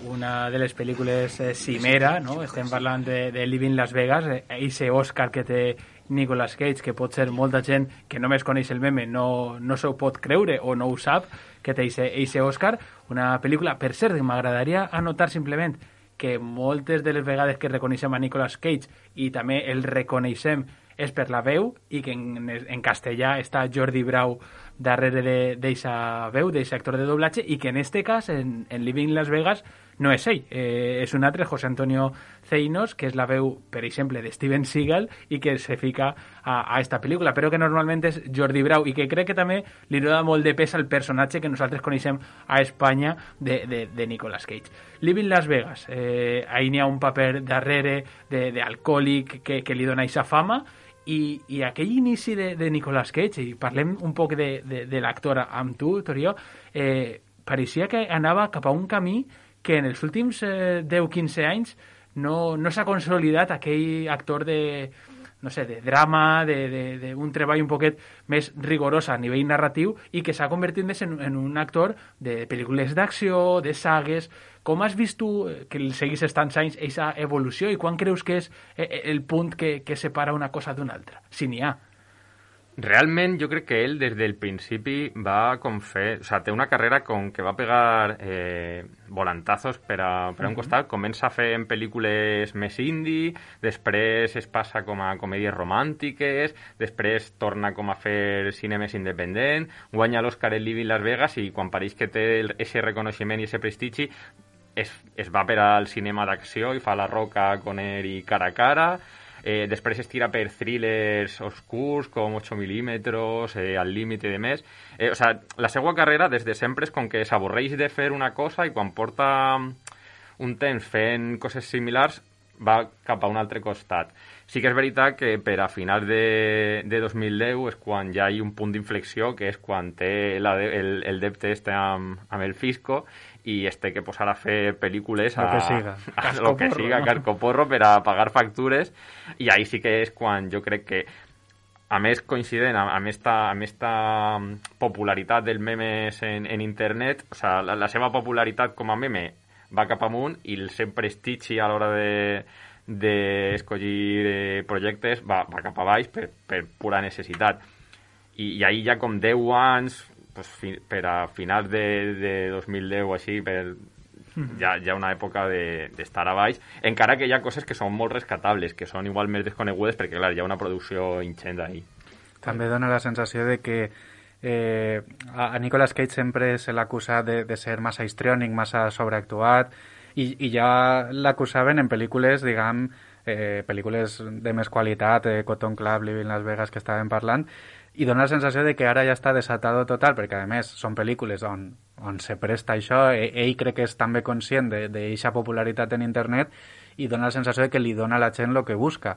una de les pel·lícules cimera, no? Estem parlant de Living Las Vegas, eixe Oscar que té Nicolas Cage, que pot ser molta gent que només coneix el meme, no s'ho pot creure o no ho sap, que té eixe Oscar. Una pel·lícula, per cert, m'agradaria anotar simplement que moltes de les vegades que reconeixem a Nicolas Cage i també el reconeixem és per la veu, i que en castellà està Jordi Brau darrere d'eixa veu, d'eixe actor de doblatge, i que en este cas, en Living Las Vegas, no és ell, és un altre, José Antonio Zeinos, que és la veu, per exemple, de Steven Seagal, i que se fica a esta pel·lícula, però que normalment és Jordi Brau, i que crec que també li dona molt de pes al personatge que nosaltres coneixem a Espanya de Nicolas Cage. Living Las Vegas, ahí n'hi ha un paper darrere d'alcohòlic que li dona eixa fama, i aquell inici de Nicolas Cage, i parlem un poc de l'actor amb tu, Torió, pareixia que anava cap a un camí que en els últims 10-15 anys no s'ha consolidat aquell actor de drama, d'un treball un poquet més rigorós a nivell narratiu, i que s'ha convertit més en un actor de pel·lícules d'acció, de sagues. Com has vist tu, que el seguís tants anys, aquesta evolució, i quan creus que és el punt que separa una cosa d'una altra, si n'hi ha? Realment jo crec que ell des del principi va com fer... O sigui, té una carrera com que va pegar volantazos per a un costat, comença a fer en pel·lícules més indie, després es passa com a comèdies romàntiques, després torna com a fer cine més independent, guanya l'Oscar en Living Las Vegas, i quan pareix que té ese reconeixement i ese prestigi es va per al cinema d'acció i fa La Roca, Conner i Cara a Cara. Després es tira per thrillers oscurs com 8 milímetres, Al límite de més. O sea, la seva carrera des de sempre és com que s'avorreix de fer una cosa, i quan porta un temps fent coses similars va cap a un altre costat. Sí que és veritat que per a finals de 2010 és quan ja hi ha un punt d'inflexió, que és quan té el depte amb el fisco, i es té que posar a fer pel·lícules lo que siga, cascoporro, per a pagar factures, i ahí sí que és quan jo crec que, a més coincident amb esta popularitat del memes en internet, o sea, la seva popularitat com a meme va cap amunt, i el seu prestigi a l'hora d'escollir projectes va cap a baix per pura necessitat. I ahí ja com 10 anys, pues, per a finals de 2010 o així, ja una època d'estar a baix, encara que hi ha coses que són molt rescatables, que són igual més desconegudes, perquè clar, hi ha una producció ingent ahí. També dona la sensació de que a Nicolas Cage sempre se l'acusa de ser massa histriònic, massa sobreactuat, i ja l'acusaven en pel·lícules, diguem, pel·lícules de més qualitat, Cotton Club, Living Las Vegas, que estàvem parlant, i dona la sensació de que ara ja està desatado total, perquè a més són pel·lícules on se presta això, ell crec que és també conscient d'eixa popularitat en internet, i dona la sensació de que li dona a la gent el que busca.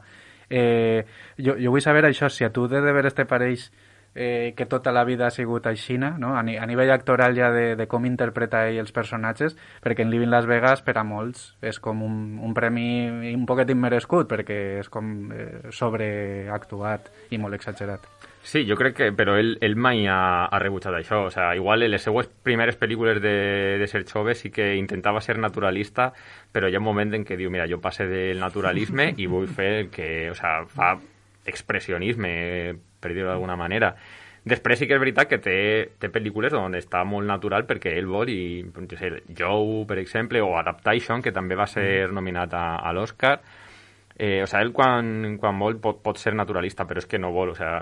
Jo vull saber això, si a tu de veres te pareix que tota la vida ha sigut aixina, no? A nivell actoral ja de com interpreta ell els personatges, perquè en Living Las Vegas per a molts és com un premi un poquet immerescut, perquè és com sobreactuat i molt exagerat. Sí, jo crec que, però ell mai ha rebutjat això. O sea, igual en les seues primeres pel·lícules de ser jove sí que intentava ser naturalista, però hi ha un moment en què diu, mira, jo passe del naturalisme i vull fer el que, o sea, fa expressionisme, per dir-ho d'alguna manera. Després sí que és veritat que té pel·lícules on està molt natural perquè ell vol, i no sé, Joe, per exemple, o Adaptation, que també va ser nominat a l'Oscar. O sea, ell quan vol pot ser naturalista, però és que no vol, o sea,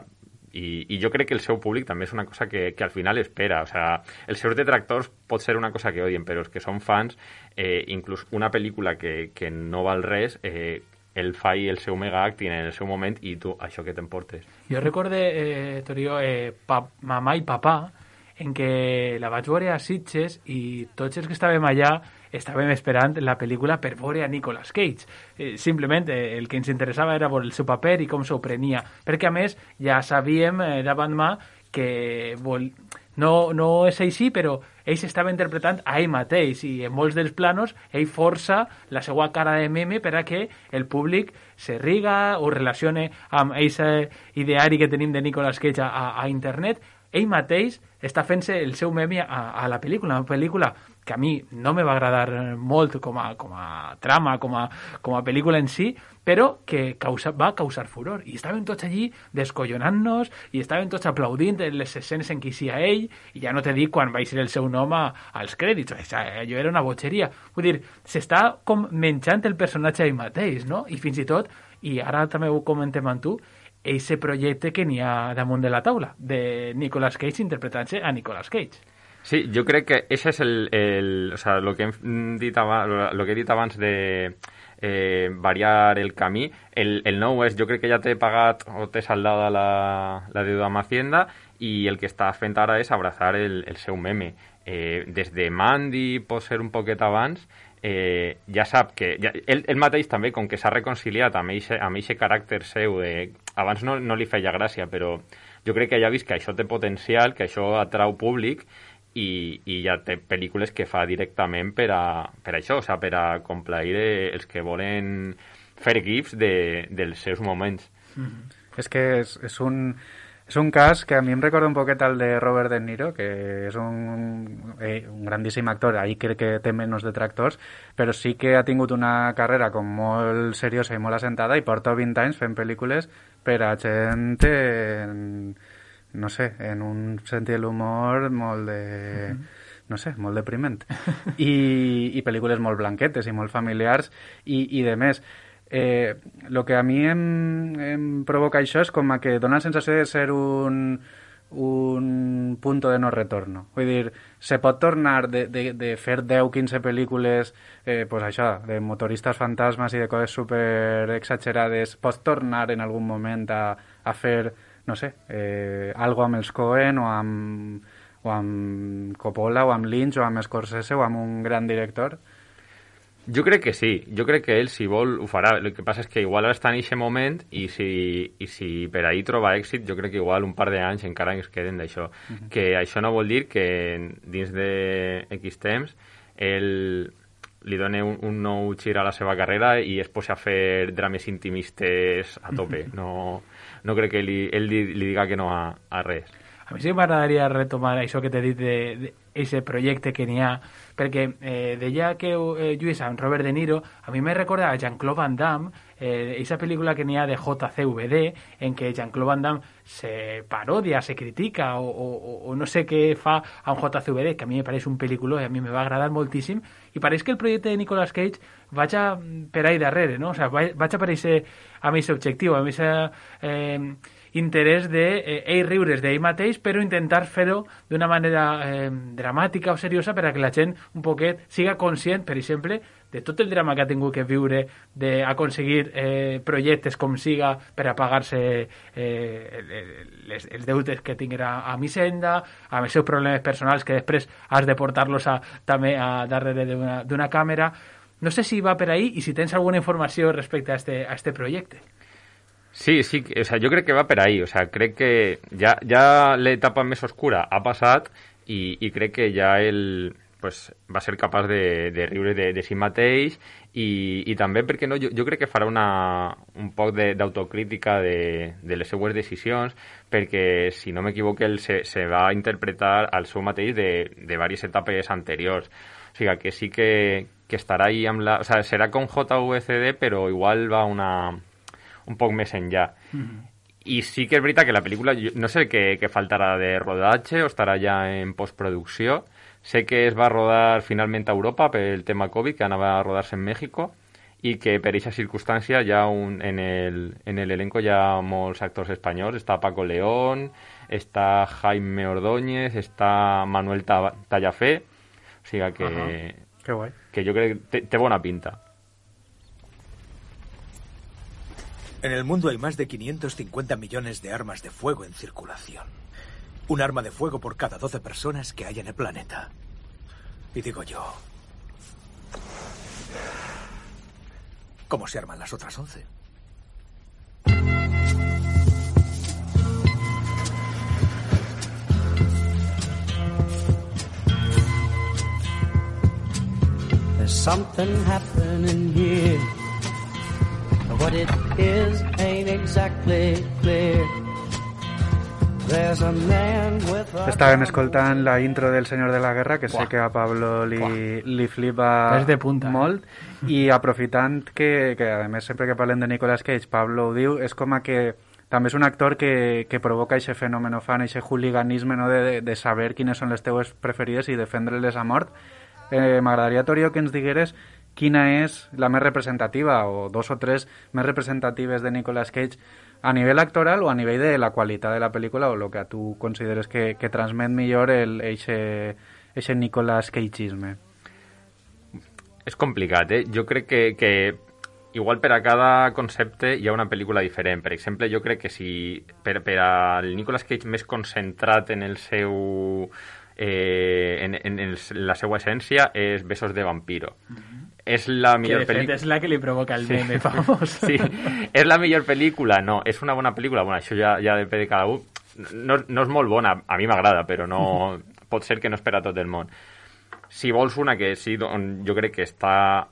i jo crec que el seu públic també és una cosa que al final espera. O sea, els seus detractors pot ser una cosa que odien, però els que són fans, inclús una pel·lícula que no val res, el fa i el seu mega acting en el seu moment, i tu, això que t'emportes. Jo recorde, Torio, Mamà i Papà, en què la vaig veure a Sitges, i tots els que estàvem allà estàvem esperant la pel·lícula per veure a Nicolas Cage. Simplement el que ens interessava era veure el seu paper i com s'ho prenia, perquè a més ja sabíem davant mà que no és així, però ell s'estava interpretant a ell mateix, i en molts dels planos ell força la seva cara de meme per a que el públic se riga o relacione amb aquest ideari que tenim de Nicolas Cage a internet. Ell mateix està fent-se el seu meme a la pel·lícula, una pel·lícula que a mi no me va agradar molt com a trama, com a pel·lícula en si, però que va causar furor. I estàvem tots allí descollonant-nos i estàvem tots aplaudint les escenes en què hi sia ell, i ja no t'he dit quan va ser el seu nom als crèdits. Allò era una botxeria. Vull dir, s'està com menjant el personatge ell mateix, no? I fins i tot, i ara també ho comentem amb tu, ese projecte que n'hi ha damunt de la taula, de Nicolas Cage interpretant-se a Nicolas Cage. Sí, jo crec que ese és o sea, lo que he dit abans de variar el camí. El nou és, jo crec que ja t'he pagat o t'he saldada la deuda amb Hacienda, i el que està fent ara és abrazar el seu meme. Des de Mandy, pot ser un poquet abans, ja sap que... Ell mateix també, com que s'ha reconciliat amb aquest caràcter seu, abans no li feia gràcia, però jo crec que ja ha vist que això té potencial, que això atrau públic, i ja té pel·lícules que fa directament per això, o sigui, per a complair els que volen fer gifs dels seus moments. És que és un cas que a mi em recorda un poquet al de Robert De Niro, que és un grandíssim actor, ahí crec que té menys detractors, però sí que ha tingut una carrera com molt seriosa i molt assentada, i porta 20 anys fent pel·lícules per a gent no sé, en un sentit de l'humor molt de... no sé, molt depriment. I pel·lícules molt blanquetes i molt familiars i de més. Lo que a mi em provoca això és com que dona la sensació de ser un punto de no retorno. Vull dir, se pot tornar de fer 10-15 pel·lícules pues això, de motoristes fantasmes i de coses super exagerades, pots tornar en algun moment a fer, no sé, algo amb els Coen o amb Coppola o amb Lynch o amb Scorsese o amb un gran director? Jo crec que sí. Jo crec que ell, si vol, ho farà. El que passa és que igual ara està en aquest moment i si per ahí troba èxit, jo crec que igual un par d'anys encara ens queden d'això. Que això no vol dir que dins de X temps ell li doni un nou gir a la seva carrera i es posi a fer drames intimistes a tope. No crec que ell li diga que no a res. A mi sí m'agradaria retomar això que t'he dit d'aquest projecte que n'hi ha, perquè deia que lluís amb Robert De Niro, a mi me recorda a Jean-Claude Van Damme, esa pel·lícula que n'hi ha de JCVD, en què Jean-Claude Van Damme se parodia, se critica o no sé què fa amb JCVD, que a mi me pareix un pel·lículó i a mi me va agradar moltíssim, i pareix que el projecte de Nicolas Cage vaig per ahí darrere, no? O sigui, vaig aparèixer amb aquest objectiu, amb aquest interès d'ell riure's d'ell mateix, però intentar fer-ho d'una manera dramàtica o seriosa per a que la gent un poquet siga conscient, per exemple, de tot el drama que ha tingut que viure d'aconseguir projectes com siga per a pagar-se els deutes que tinguera amb Hisenda, amb els seus problemes personals que després has de portar-los també darrere d'una càmera. No sé si va per ahí i si tens alguna informació respecte a este projecte. Sí, o sea, jo crec que va per ahí, o sea, crec que ja l'etapa més oscura ha passat i crec que ja ell pues, va ser capaç de riure de si mateix i també, perquè no, jo crec que farà un poc d'autocrítica de les seues decisions, perquè, si no m'equivoco, ell se va interpretar al seu mateix de diverses etapes anteriors. O sigui, que sí que estarà ahí amb la... O sea, serà com JVCD, però igual va un poc més enllà. I sí que és veritat que la pel·lícula, no sé què faltarà de rodatge o estarà ja en postproducció. Sé que es va rodar finalment a Europa pel tema Covid, que anava a rodar-se en México, i que per aquesta circumstància ja en l'elenco hi ha molts actors espanyols. Està Paco León, està Jaime Ordóñez, està Manuel Tallafé. O sigui que guai. Que jo crec que té bona pinta. En el mundo hay más de 550 millones de armas de fuego en circulación. Un arma de fuego por cada 12 personas que hay en el planeta. Y digo yo, ¿cómo se arman las otras 11? There's something happening here. What it is ain't exactly clear. There's a man with a... Estàvem escoltant la intro del Senyor de la Guerra, que sé que a Pablo li flipa de punta, molt, i aprofitant que a més sempre que parlem de Nicolas Cage, Pablo ho diu, és com a que també és un actor que provoca aquest fenomen fan, aquest hooliganisme, no? de saber quines són les teues preferides i defendre-les a mort. M'agradaria, Torio, que ens digueres quina és la més representativa, o dos o tres més representatives de Nicolas Cage, a nivell actoral o a nivell de la qualitat de la pel·lícula, o el que tu consideres que transmet millor eixe Nicolas Cageisme. És complicat, eh? Jo crec que igual per a cada concepte hi ha una pel·lícula diferent. Per exemple, jo crec que si per al Nicolas Cage més concentrat en el seu... la seva essència és Besos de vampiro. És la millor pel·lícula... És la que li provoca el meme famós. Sí, és la millor pel·lícula? No, és una bona pel·lícula? Bueno, això ja depèn de cada un. No és molt bona, a mi m'agrada, però no pot ser que no és per a tot el món. Si vols una que sí, jo crec que està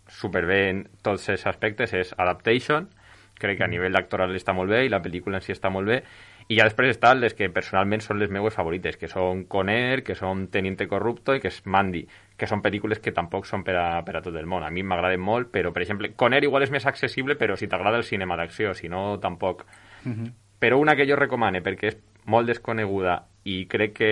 superbé en tots els aspectes, és Adaptation. Crec que a nivell actoral està molt bé i la pel·lícula en si està molt bé. I ja després estan les que personalment són les meues favorites, que són Con Air, que són Teniente Corrupto i que és Mandy, que són pel·lícules que tampoc són per a tot el món. A mi m'agraden molt, però, per exemple, Con Air igual és més accessible, però si t'agrada el cinema d'acció, si no, tampoc. Però una que jo recomane, perquè és molt desconeguda i crec que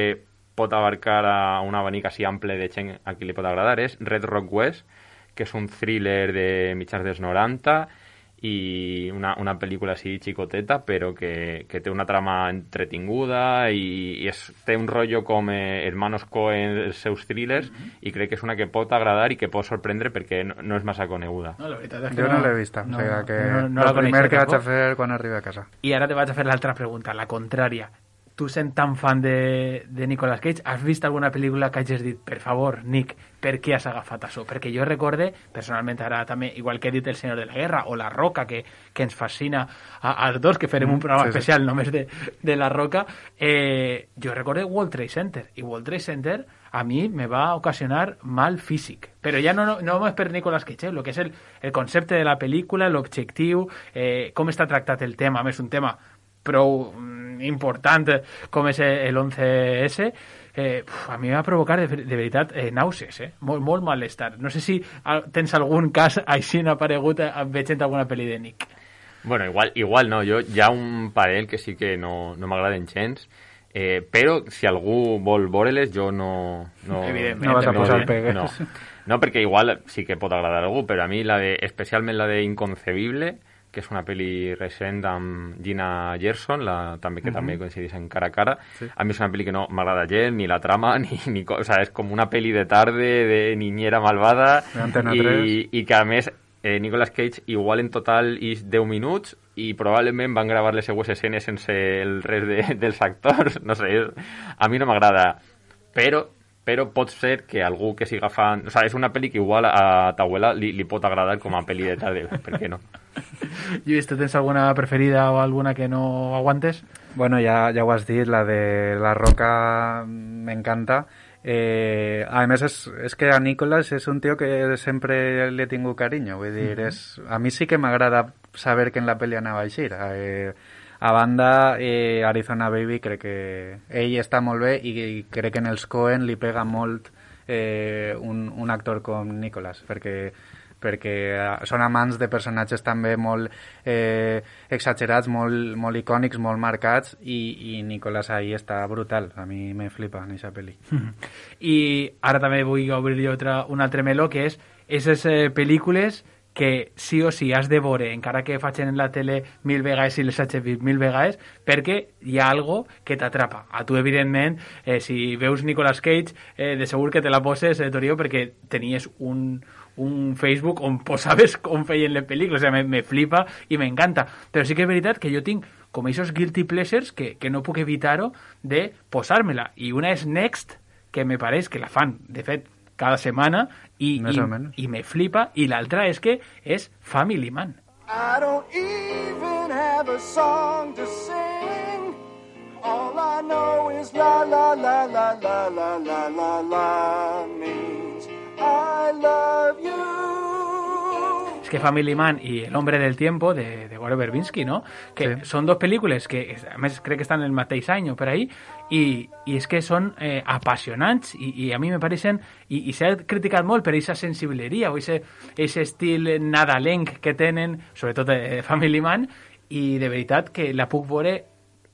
pot abarcar a un abanic així ample de gent a qui li pot agradar, és Red Rock West, que és un thriller de mitjans dels 90 i una pel·lícula així xicoteta, però que té una trama entretinguda i té un rotllo com Hermanos Coen, els seus thrillers, i crec que és una que pot agradar i que pot sorprendre perquè no és massa coneguda. No, la veritat és que jo no l'he vista, o sigui que el primer que vaig a fer quan arribi a casa. I ara te vaig a fer l'altra pregunta, la contrària. Tu sent tan fan de Nicolas Cage, has vist alguna pel·lícula que hagis dit, per favor, Nick, per què has agafat això? Perquè jo recorde, personalment ara també, igual que he dit El Senyor de la Guerra o La Roca, que ens fascina als dos, que farem un programa especial només de La Roca, jo recorde World Trade Center, i World Trade Center a mi me va ocasionar mal físic, però ja no només per Nicolas Cage, el que és el concepte de la pel·lícula, l'objectiu, com està tractat el tema, a més un tema prou important com és l'11S, a mi va provocar de veritat nàusees, molt malestar. No sé si tens algun cas així aparegut veient alguna pel·li de Nick. Bueno, igual no, jo hi ha un parell que sí que no m'agraden gens, però si algú vol veure-les jo no vas a posar pegues. No, perquè igual sí que pot agradar a algú, però a mi especialment la de Inconcebible, que és una pel·li recent amb Gina Gerson, també coincideix en Cara a Cara. Sí. A mi és una pel·li que no m'agrada gens, ni la trama, o sea, és com una pel·li de tarde, de niñera malvada, i que a més Nicolas Cage igual en total és 10 minuts i probablement van gravar les seues escenes sense el rest dels actors, no sé, a mi no m'agrada, però pot ser que algú que siga fan... O sigui, és una pel·li que igual a ta abuela li pot agradar com a pel·li de tarde, per què no? Lluís, ¿tú tens alguna preferida o alguna que no aguantes? Bueno, ya ho has dit, la de La Roca me encanta. A més, és que a Nicolas és un tío que sempre li he tingut carinyo. Vull dir, a mi sí que m'agrada saber que en la pel·li anava així. A banda, Arizona Baby crec que ell està molt bé i crec que en els Coen li pega molt un actor com Nicolas, perquè són amants de personatges també molt exagerats, molt icònics, molt marcats, i Nicolas ahí està brutal. A mi me flipa en aquesta pel·li. I ara també vull obrir un altre meló, que és aquestes pel·lícules que sí o sí has de veure, encara que facin en la tele 1000 vegades i les hagis vist 1000 vegades, perquè hi ha algo que t'atrapa. A tu, evidentment, si veus Nicolas Cage, de segur que te la poses, Torio, perquè tenies un Facebook on posaves com feien les pel·lícules. O sigui, me flipa i m'encanta. Però sí que és veritat que jo tinc com aquests guilty pleasures que no puc evitar-ho de posar-me-la. I una és Next, que me pareix que la fan, de fet, cada setmana, i me flipa, i l'altra és que és Family Man. I don't even have a song to sing. All I know is la la la la la la la la la means I love you. és que Family Man i El hombre del tiempo, de Gore Verbinski, no? Que són dos pel·lícules que, a més, crec que estan el mateix any o per ahí, i és que són apassionants i a mi me pareixen, i s'ha criticat molt per aquesta sensibleria o aquest estil nadalenc que tenen, sobretot Family Man, i de veritat que la puc veure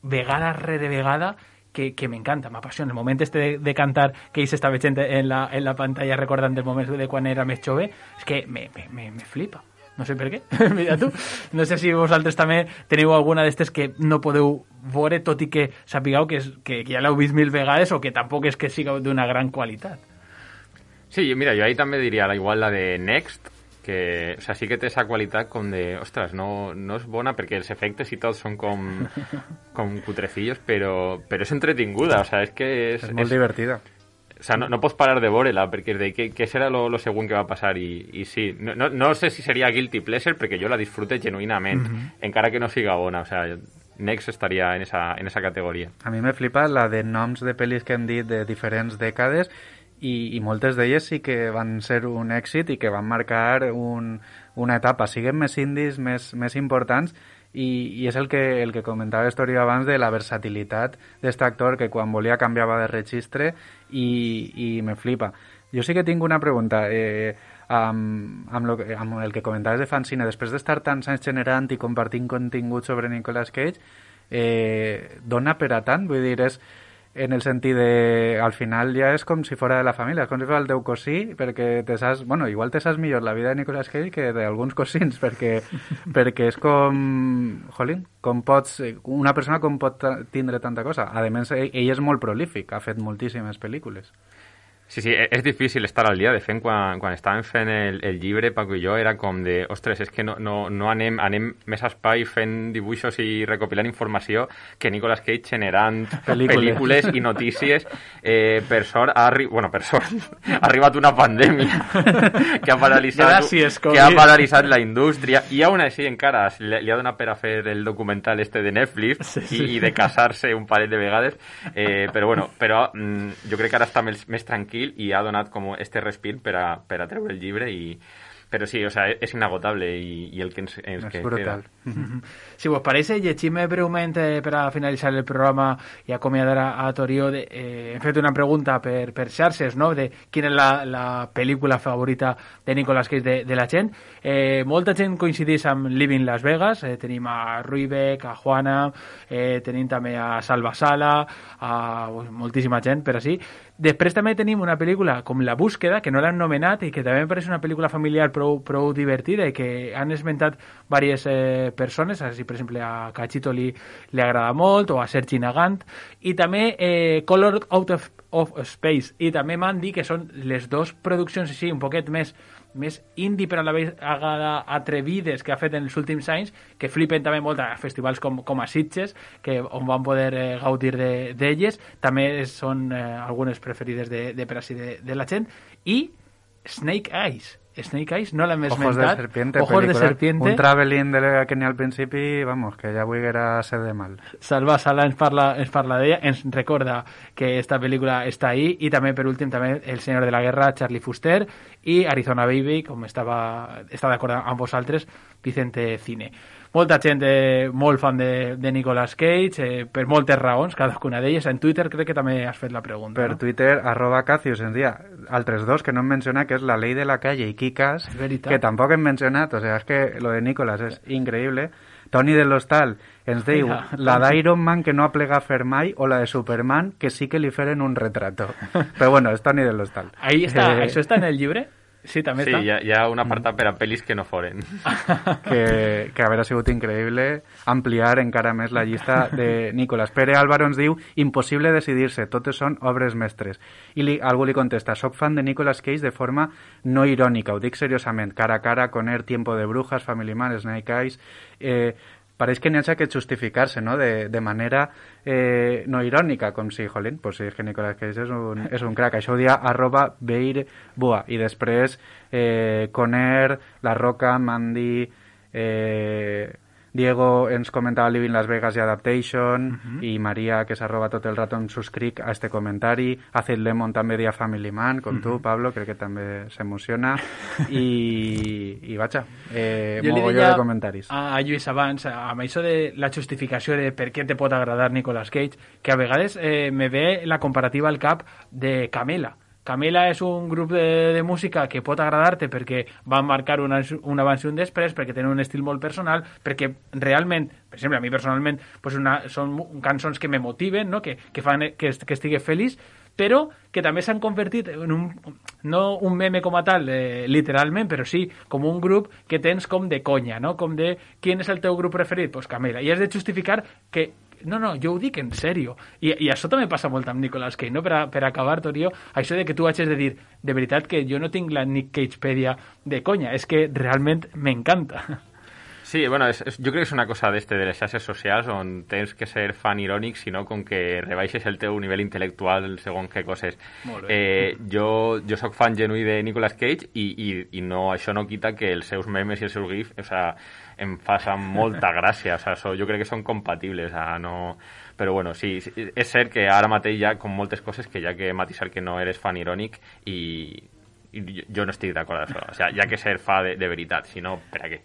vegada rere vegada, que m'encanta, m'apassiona. El moment de cantar que ell s'està veient en la pantalla recordant el moment de quan era més jove, és que me flipa. No sé per què, mira tu. No sé si vosaltres també teniu alguna d'estes que no podeu veure, tot i que sapigueu que ja l'heu vist 1000 vegades o que tampoc és que siga d'una gran qualitat. Sí, mira, jo ahí també diria igual la de Next, que, o sea, sí que té esa qualitat com de, ostres, no és bona perquè els efectes i tot són com cutrecillos, però és entretinguda, o sea, és que és molt divertida. O sea, no pots parar de veure-la, perquè és de què serà lo següent que va passar, i sí, no sé si seria guilty pleasure, perquè jo la disfrute genuïnament, encara que no siga bona, o sea, Next estaria en esa categoria. A mi me flipa la de noms de pel·lis que hem dit de diferents dècades, i moltes d'elles sí que van ser un èxit i que van marcar una etapa, siguen més indis, més importants, i és el que comentava Story abans de la versatilitat d'aquest actor que quan volia canviava de registre i me flipa. Jo sí que tinc una pregunta amb el que comentaves de Fancine, després d'estar tants anys generant i compartint contingut sobre Nicolas Cage, dona per a tant? Vull dir, és en el sentit de, al final ja és com si fora de la família, és com si fos el teu cosí, perquè te saps, bueno, igual te saps millor la vida de Nicolas Cage que d'alguns cosins, perquè és com, jolín, una persona com pot tindre tanta cosa. A més, ell és molt prolífic, ha fet moltíssimes pel·lícules. Sí, és difícil estar al dia. De fet, quan estàvem fent el llibre, Paco i jo, era com de, ostres, és que no anem més a espai fent dibuixos i recopilant informació que Nicolas Cage generant pel·lícules i notícies. Per sort, ha arribat una pandèmia que ha paralitzat la indústria, i aún així encara li ha donat per a fer el documental de Netflix i de casar-se un parell de vegades, però jo crec que ara està més tranquil i ha donat com este respir per a treure el llibre, però sí, o sea, és inagotable i el que ens queda. Si vos parece, llegim breument per a finalitzar el programa i acomiadar a Torió. Hem fet una pregunta per xarxes, no?, de quina és la pel·lícula favorita de Nicolas Cage de la gent. Molta gent coincideix amb Living Las Vegas, tenim a Ruibeck, a Juana, tenim també a Salva Sala, a moltíssima gent, per així. Després també tenim una pel·lícula com La búsqueda, que no l'han nomenat i que també em pareix una pel·lícula familiar prou divertida i que han esmentat diverses persones, així per exemple a Cachito li agrada molt, o a Sergi Nagant, i també Colored Out of Space, i també m'han dit que són les dues produccions així un poquet més indie però a la vegada atrevides que ha fet en els últims anys, que flipen també molt a festivals com a Sitges, on van poder gaudir d'elles. També són algunes preferides per així de la gent. I Snake Eyes, no l'hem esmentat. Ojos de serpiente. Un traveling que ni al principi, vamos, que ja vulguera ser de mal. Salva Sala ens parla d'ella, ens recorda que esta pel·lícula està ahí, i també, per últim, també El senyor de la guerra, Charlie Fuster, i Arizona Baby, com està d'acord amb vosaltres, Vicente Cine. Molta gent molt fan de Nicolas Cage, per moltes raons, cadascuna d'elles. En Twitter crec que també has fet la pregunta. Per Twitter, @Cacius, ens dia altres dos que no hem mencionat, que és La ley de la calle i Kick-Ass, que tampoc hem mencionat. O sea, és que lo de Nicolas és increïble. Toni de l'Hostal ens diu la d'Iron Man que no aplega a fer mai, o la de Superman que sí que li feren un retrato. Però bueno, és Toni de l'Hostal. Ahí està, això està en el llibre? Sí, també està. Sí, hi ha un apartat per a pel·lis que no foren. Que haver sigut increïble ampliar encara més la llista de Nicolas. Pere Álvaro ens diu impossible decidir-se, totes són obres mestres. I algú li contesta, soc fan de Nicolas Cage de forma no irònica, ho dic seriosament, cara a cara, Conner, Tiempo de Brujas, Family Man, Snake Eyes... pareix que n'hi ha que justificar-se, no?, de manera no irònica, com si, jolín, pues sí, és que Nicolas Cage és un crack. Això ho dia @BeirBua. I després Conner, La Roca, Mandy, Diego ens comentava Living Las Vegas i Adaptation, i Maria, que s'arroba tot el rato, em subscric a este comentari. Acid Lemon també dia Family Man, com tu, Pablo, crec que també s'emociona. I vaja, mogolló de comentaris. A Lluís abans, amb això de la justificació de per què te pot agradar Nicolas Cage, que a vegades me ve la comparativa al cap de Camela. Camela és un grup de música que pot agradar-te perquè van marcar un abans i un després, perquè tenen un estil molt personal, perquè realment, per exemple, a mi personalment, pues són cançons que me motiven, no? que fan que estigui feliç, però que també s'han convertit en no un meme com a tal, literalment, però sí com un grup que tens com de conya, no? Com de, ¿quién és el teu grup preferit? Pues Camela. I has de justificar que no, jo ho dic en sèrio. I això també passa molt amb Nicolas Cage, no? Per acabar, Torio, això de que tu hagis de dir, de veritat que jo no tinc la Nick Cagepedia de conya, és que realment m'encanta. Sí, bueno, jo crec que és una cosa de les xarxes socials on tens que ser fan irònic, sinó com que rebaixes el teu nivell intel·lectual segons què coses. Jo sóc fan genuí de Nicolas Cage i no, això no quita que els seus memes i els seus gifs, o sea, em fan molta gràcia, o sea, jo crec que són compatibles, no... Però bueno, sí, és cert que ara mateix hi ha com moltes coses que hi ha que matisar que no eres fan irònic i jo no estic d'acord amb això, o sea, hi ha que ser fa de veritat, si no, per a què?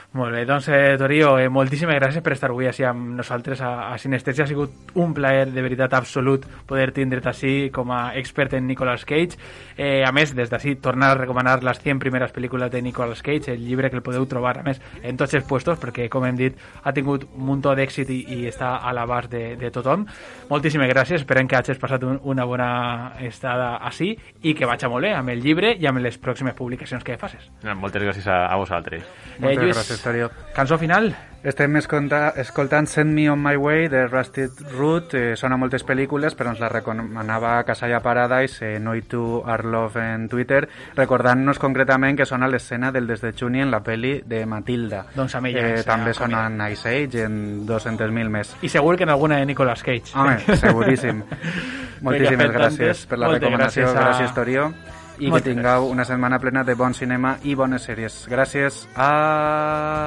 Molt bé, doncs Torio, moltíssimes gràcies per estar avui així amb nosaltres a Sinestèsia. Ha sigut un plaer de veritat absolut poder tindre't així com a expert en Nicolas Cage. A més, des d'ací, tornar a recomanar les 100 primeres pel·lícules de Nicolas Cage, el llibre que el podeu trobar, a més, en tots els puestos, perquè, com hem dit, ha tingut un munt d'èxit i està a l'abast de tothom. Moltíssimes gràcies, esperem que hagis passat una bona estada així i que vagi molt bé amb el llibre i amb les pròximes publicacions que facis. Moltes gràcies a vosaltres. Moltes gràcies, Torio. Cançó final? Estem escoltant Send Me On My Way de Rusted Root, sona moltes pel·lícules, però ens la recomanava Casalla Paradise, Noi Tu Our Love en Twitter, recordant-nos concretament que sona l'escena del Des de Juni en la pel·li de Matilda. Doncs a mi ja també sona en Ice Age, en 200.000 més. I segur que en alguna de Nicolas Cage. Home, seguríssim. Moltíssimes gràcies per la recomanació, gràcies Torio. I que tingueu una setmana plena de bon cinema i bones sèries. Gràcies. Adeu.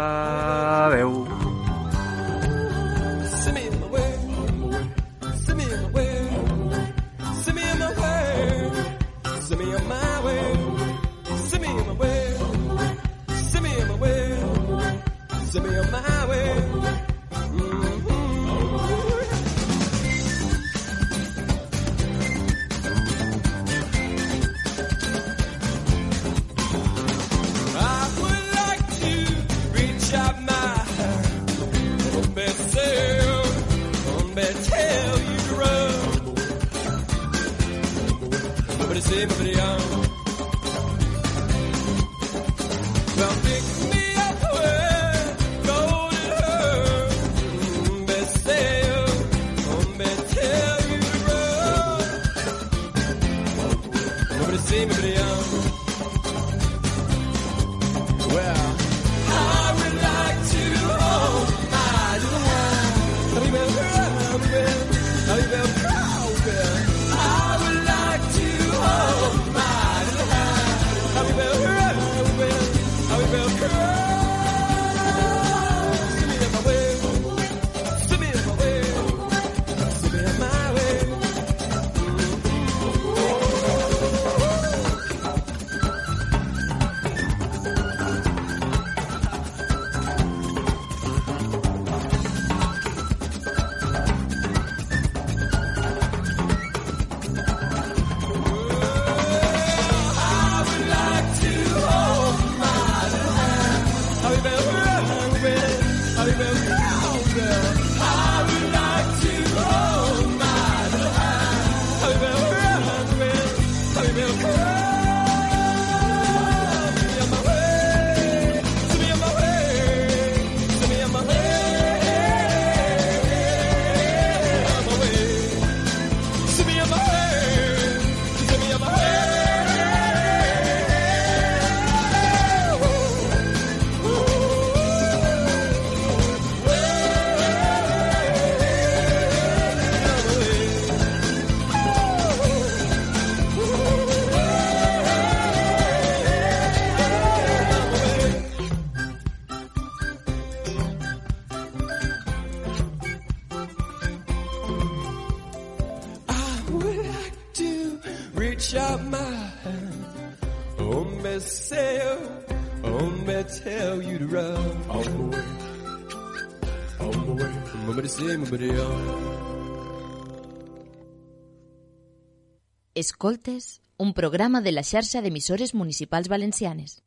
Well, pick me up where gold and her best sail, tell you to run. Nobody see me, but young. Well, I would like to hold my little one. I would like to hold my reach out my hand. Oh, me say, oh, me tell you to run. On the way, on the way. Mumbity say, mumbity Escoltes, un programa de la xarxa d'emissores municipals valencianes.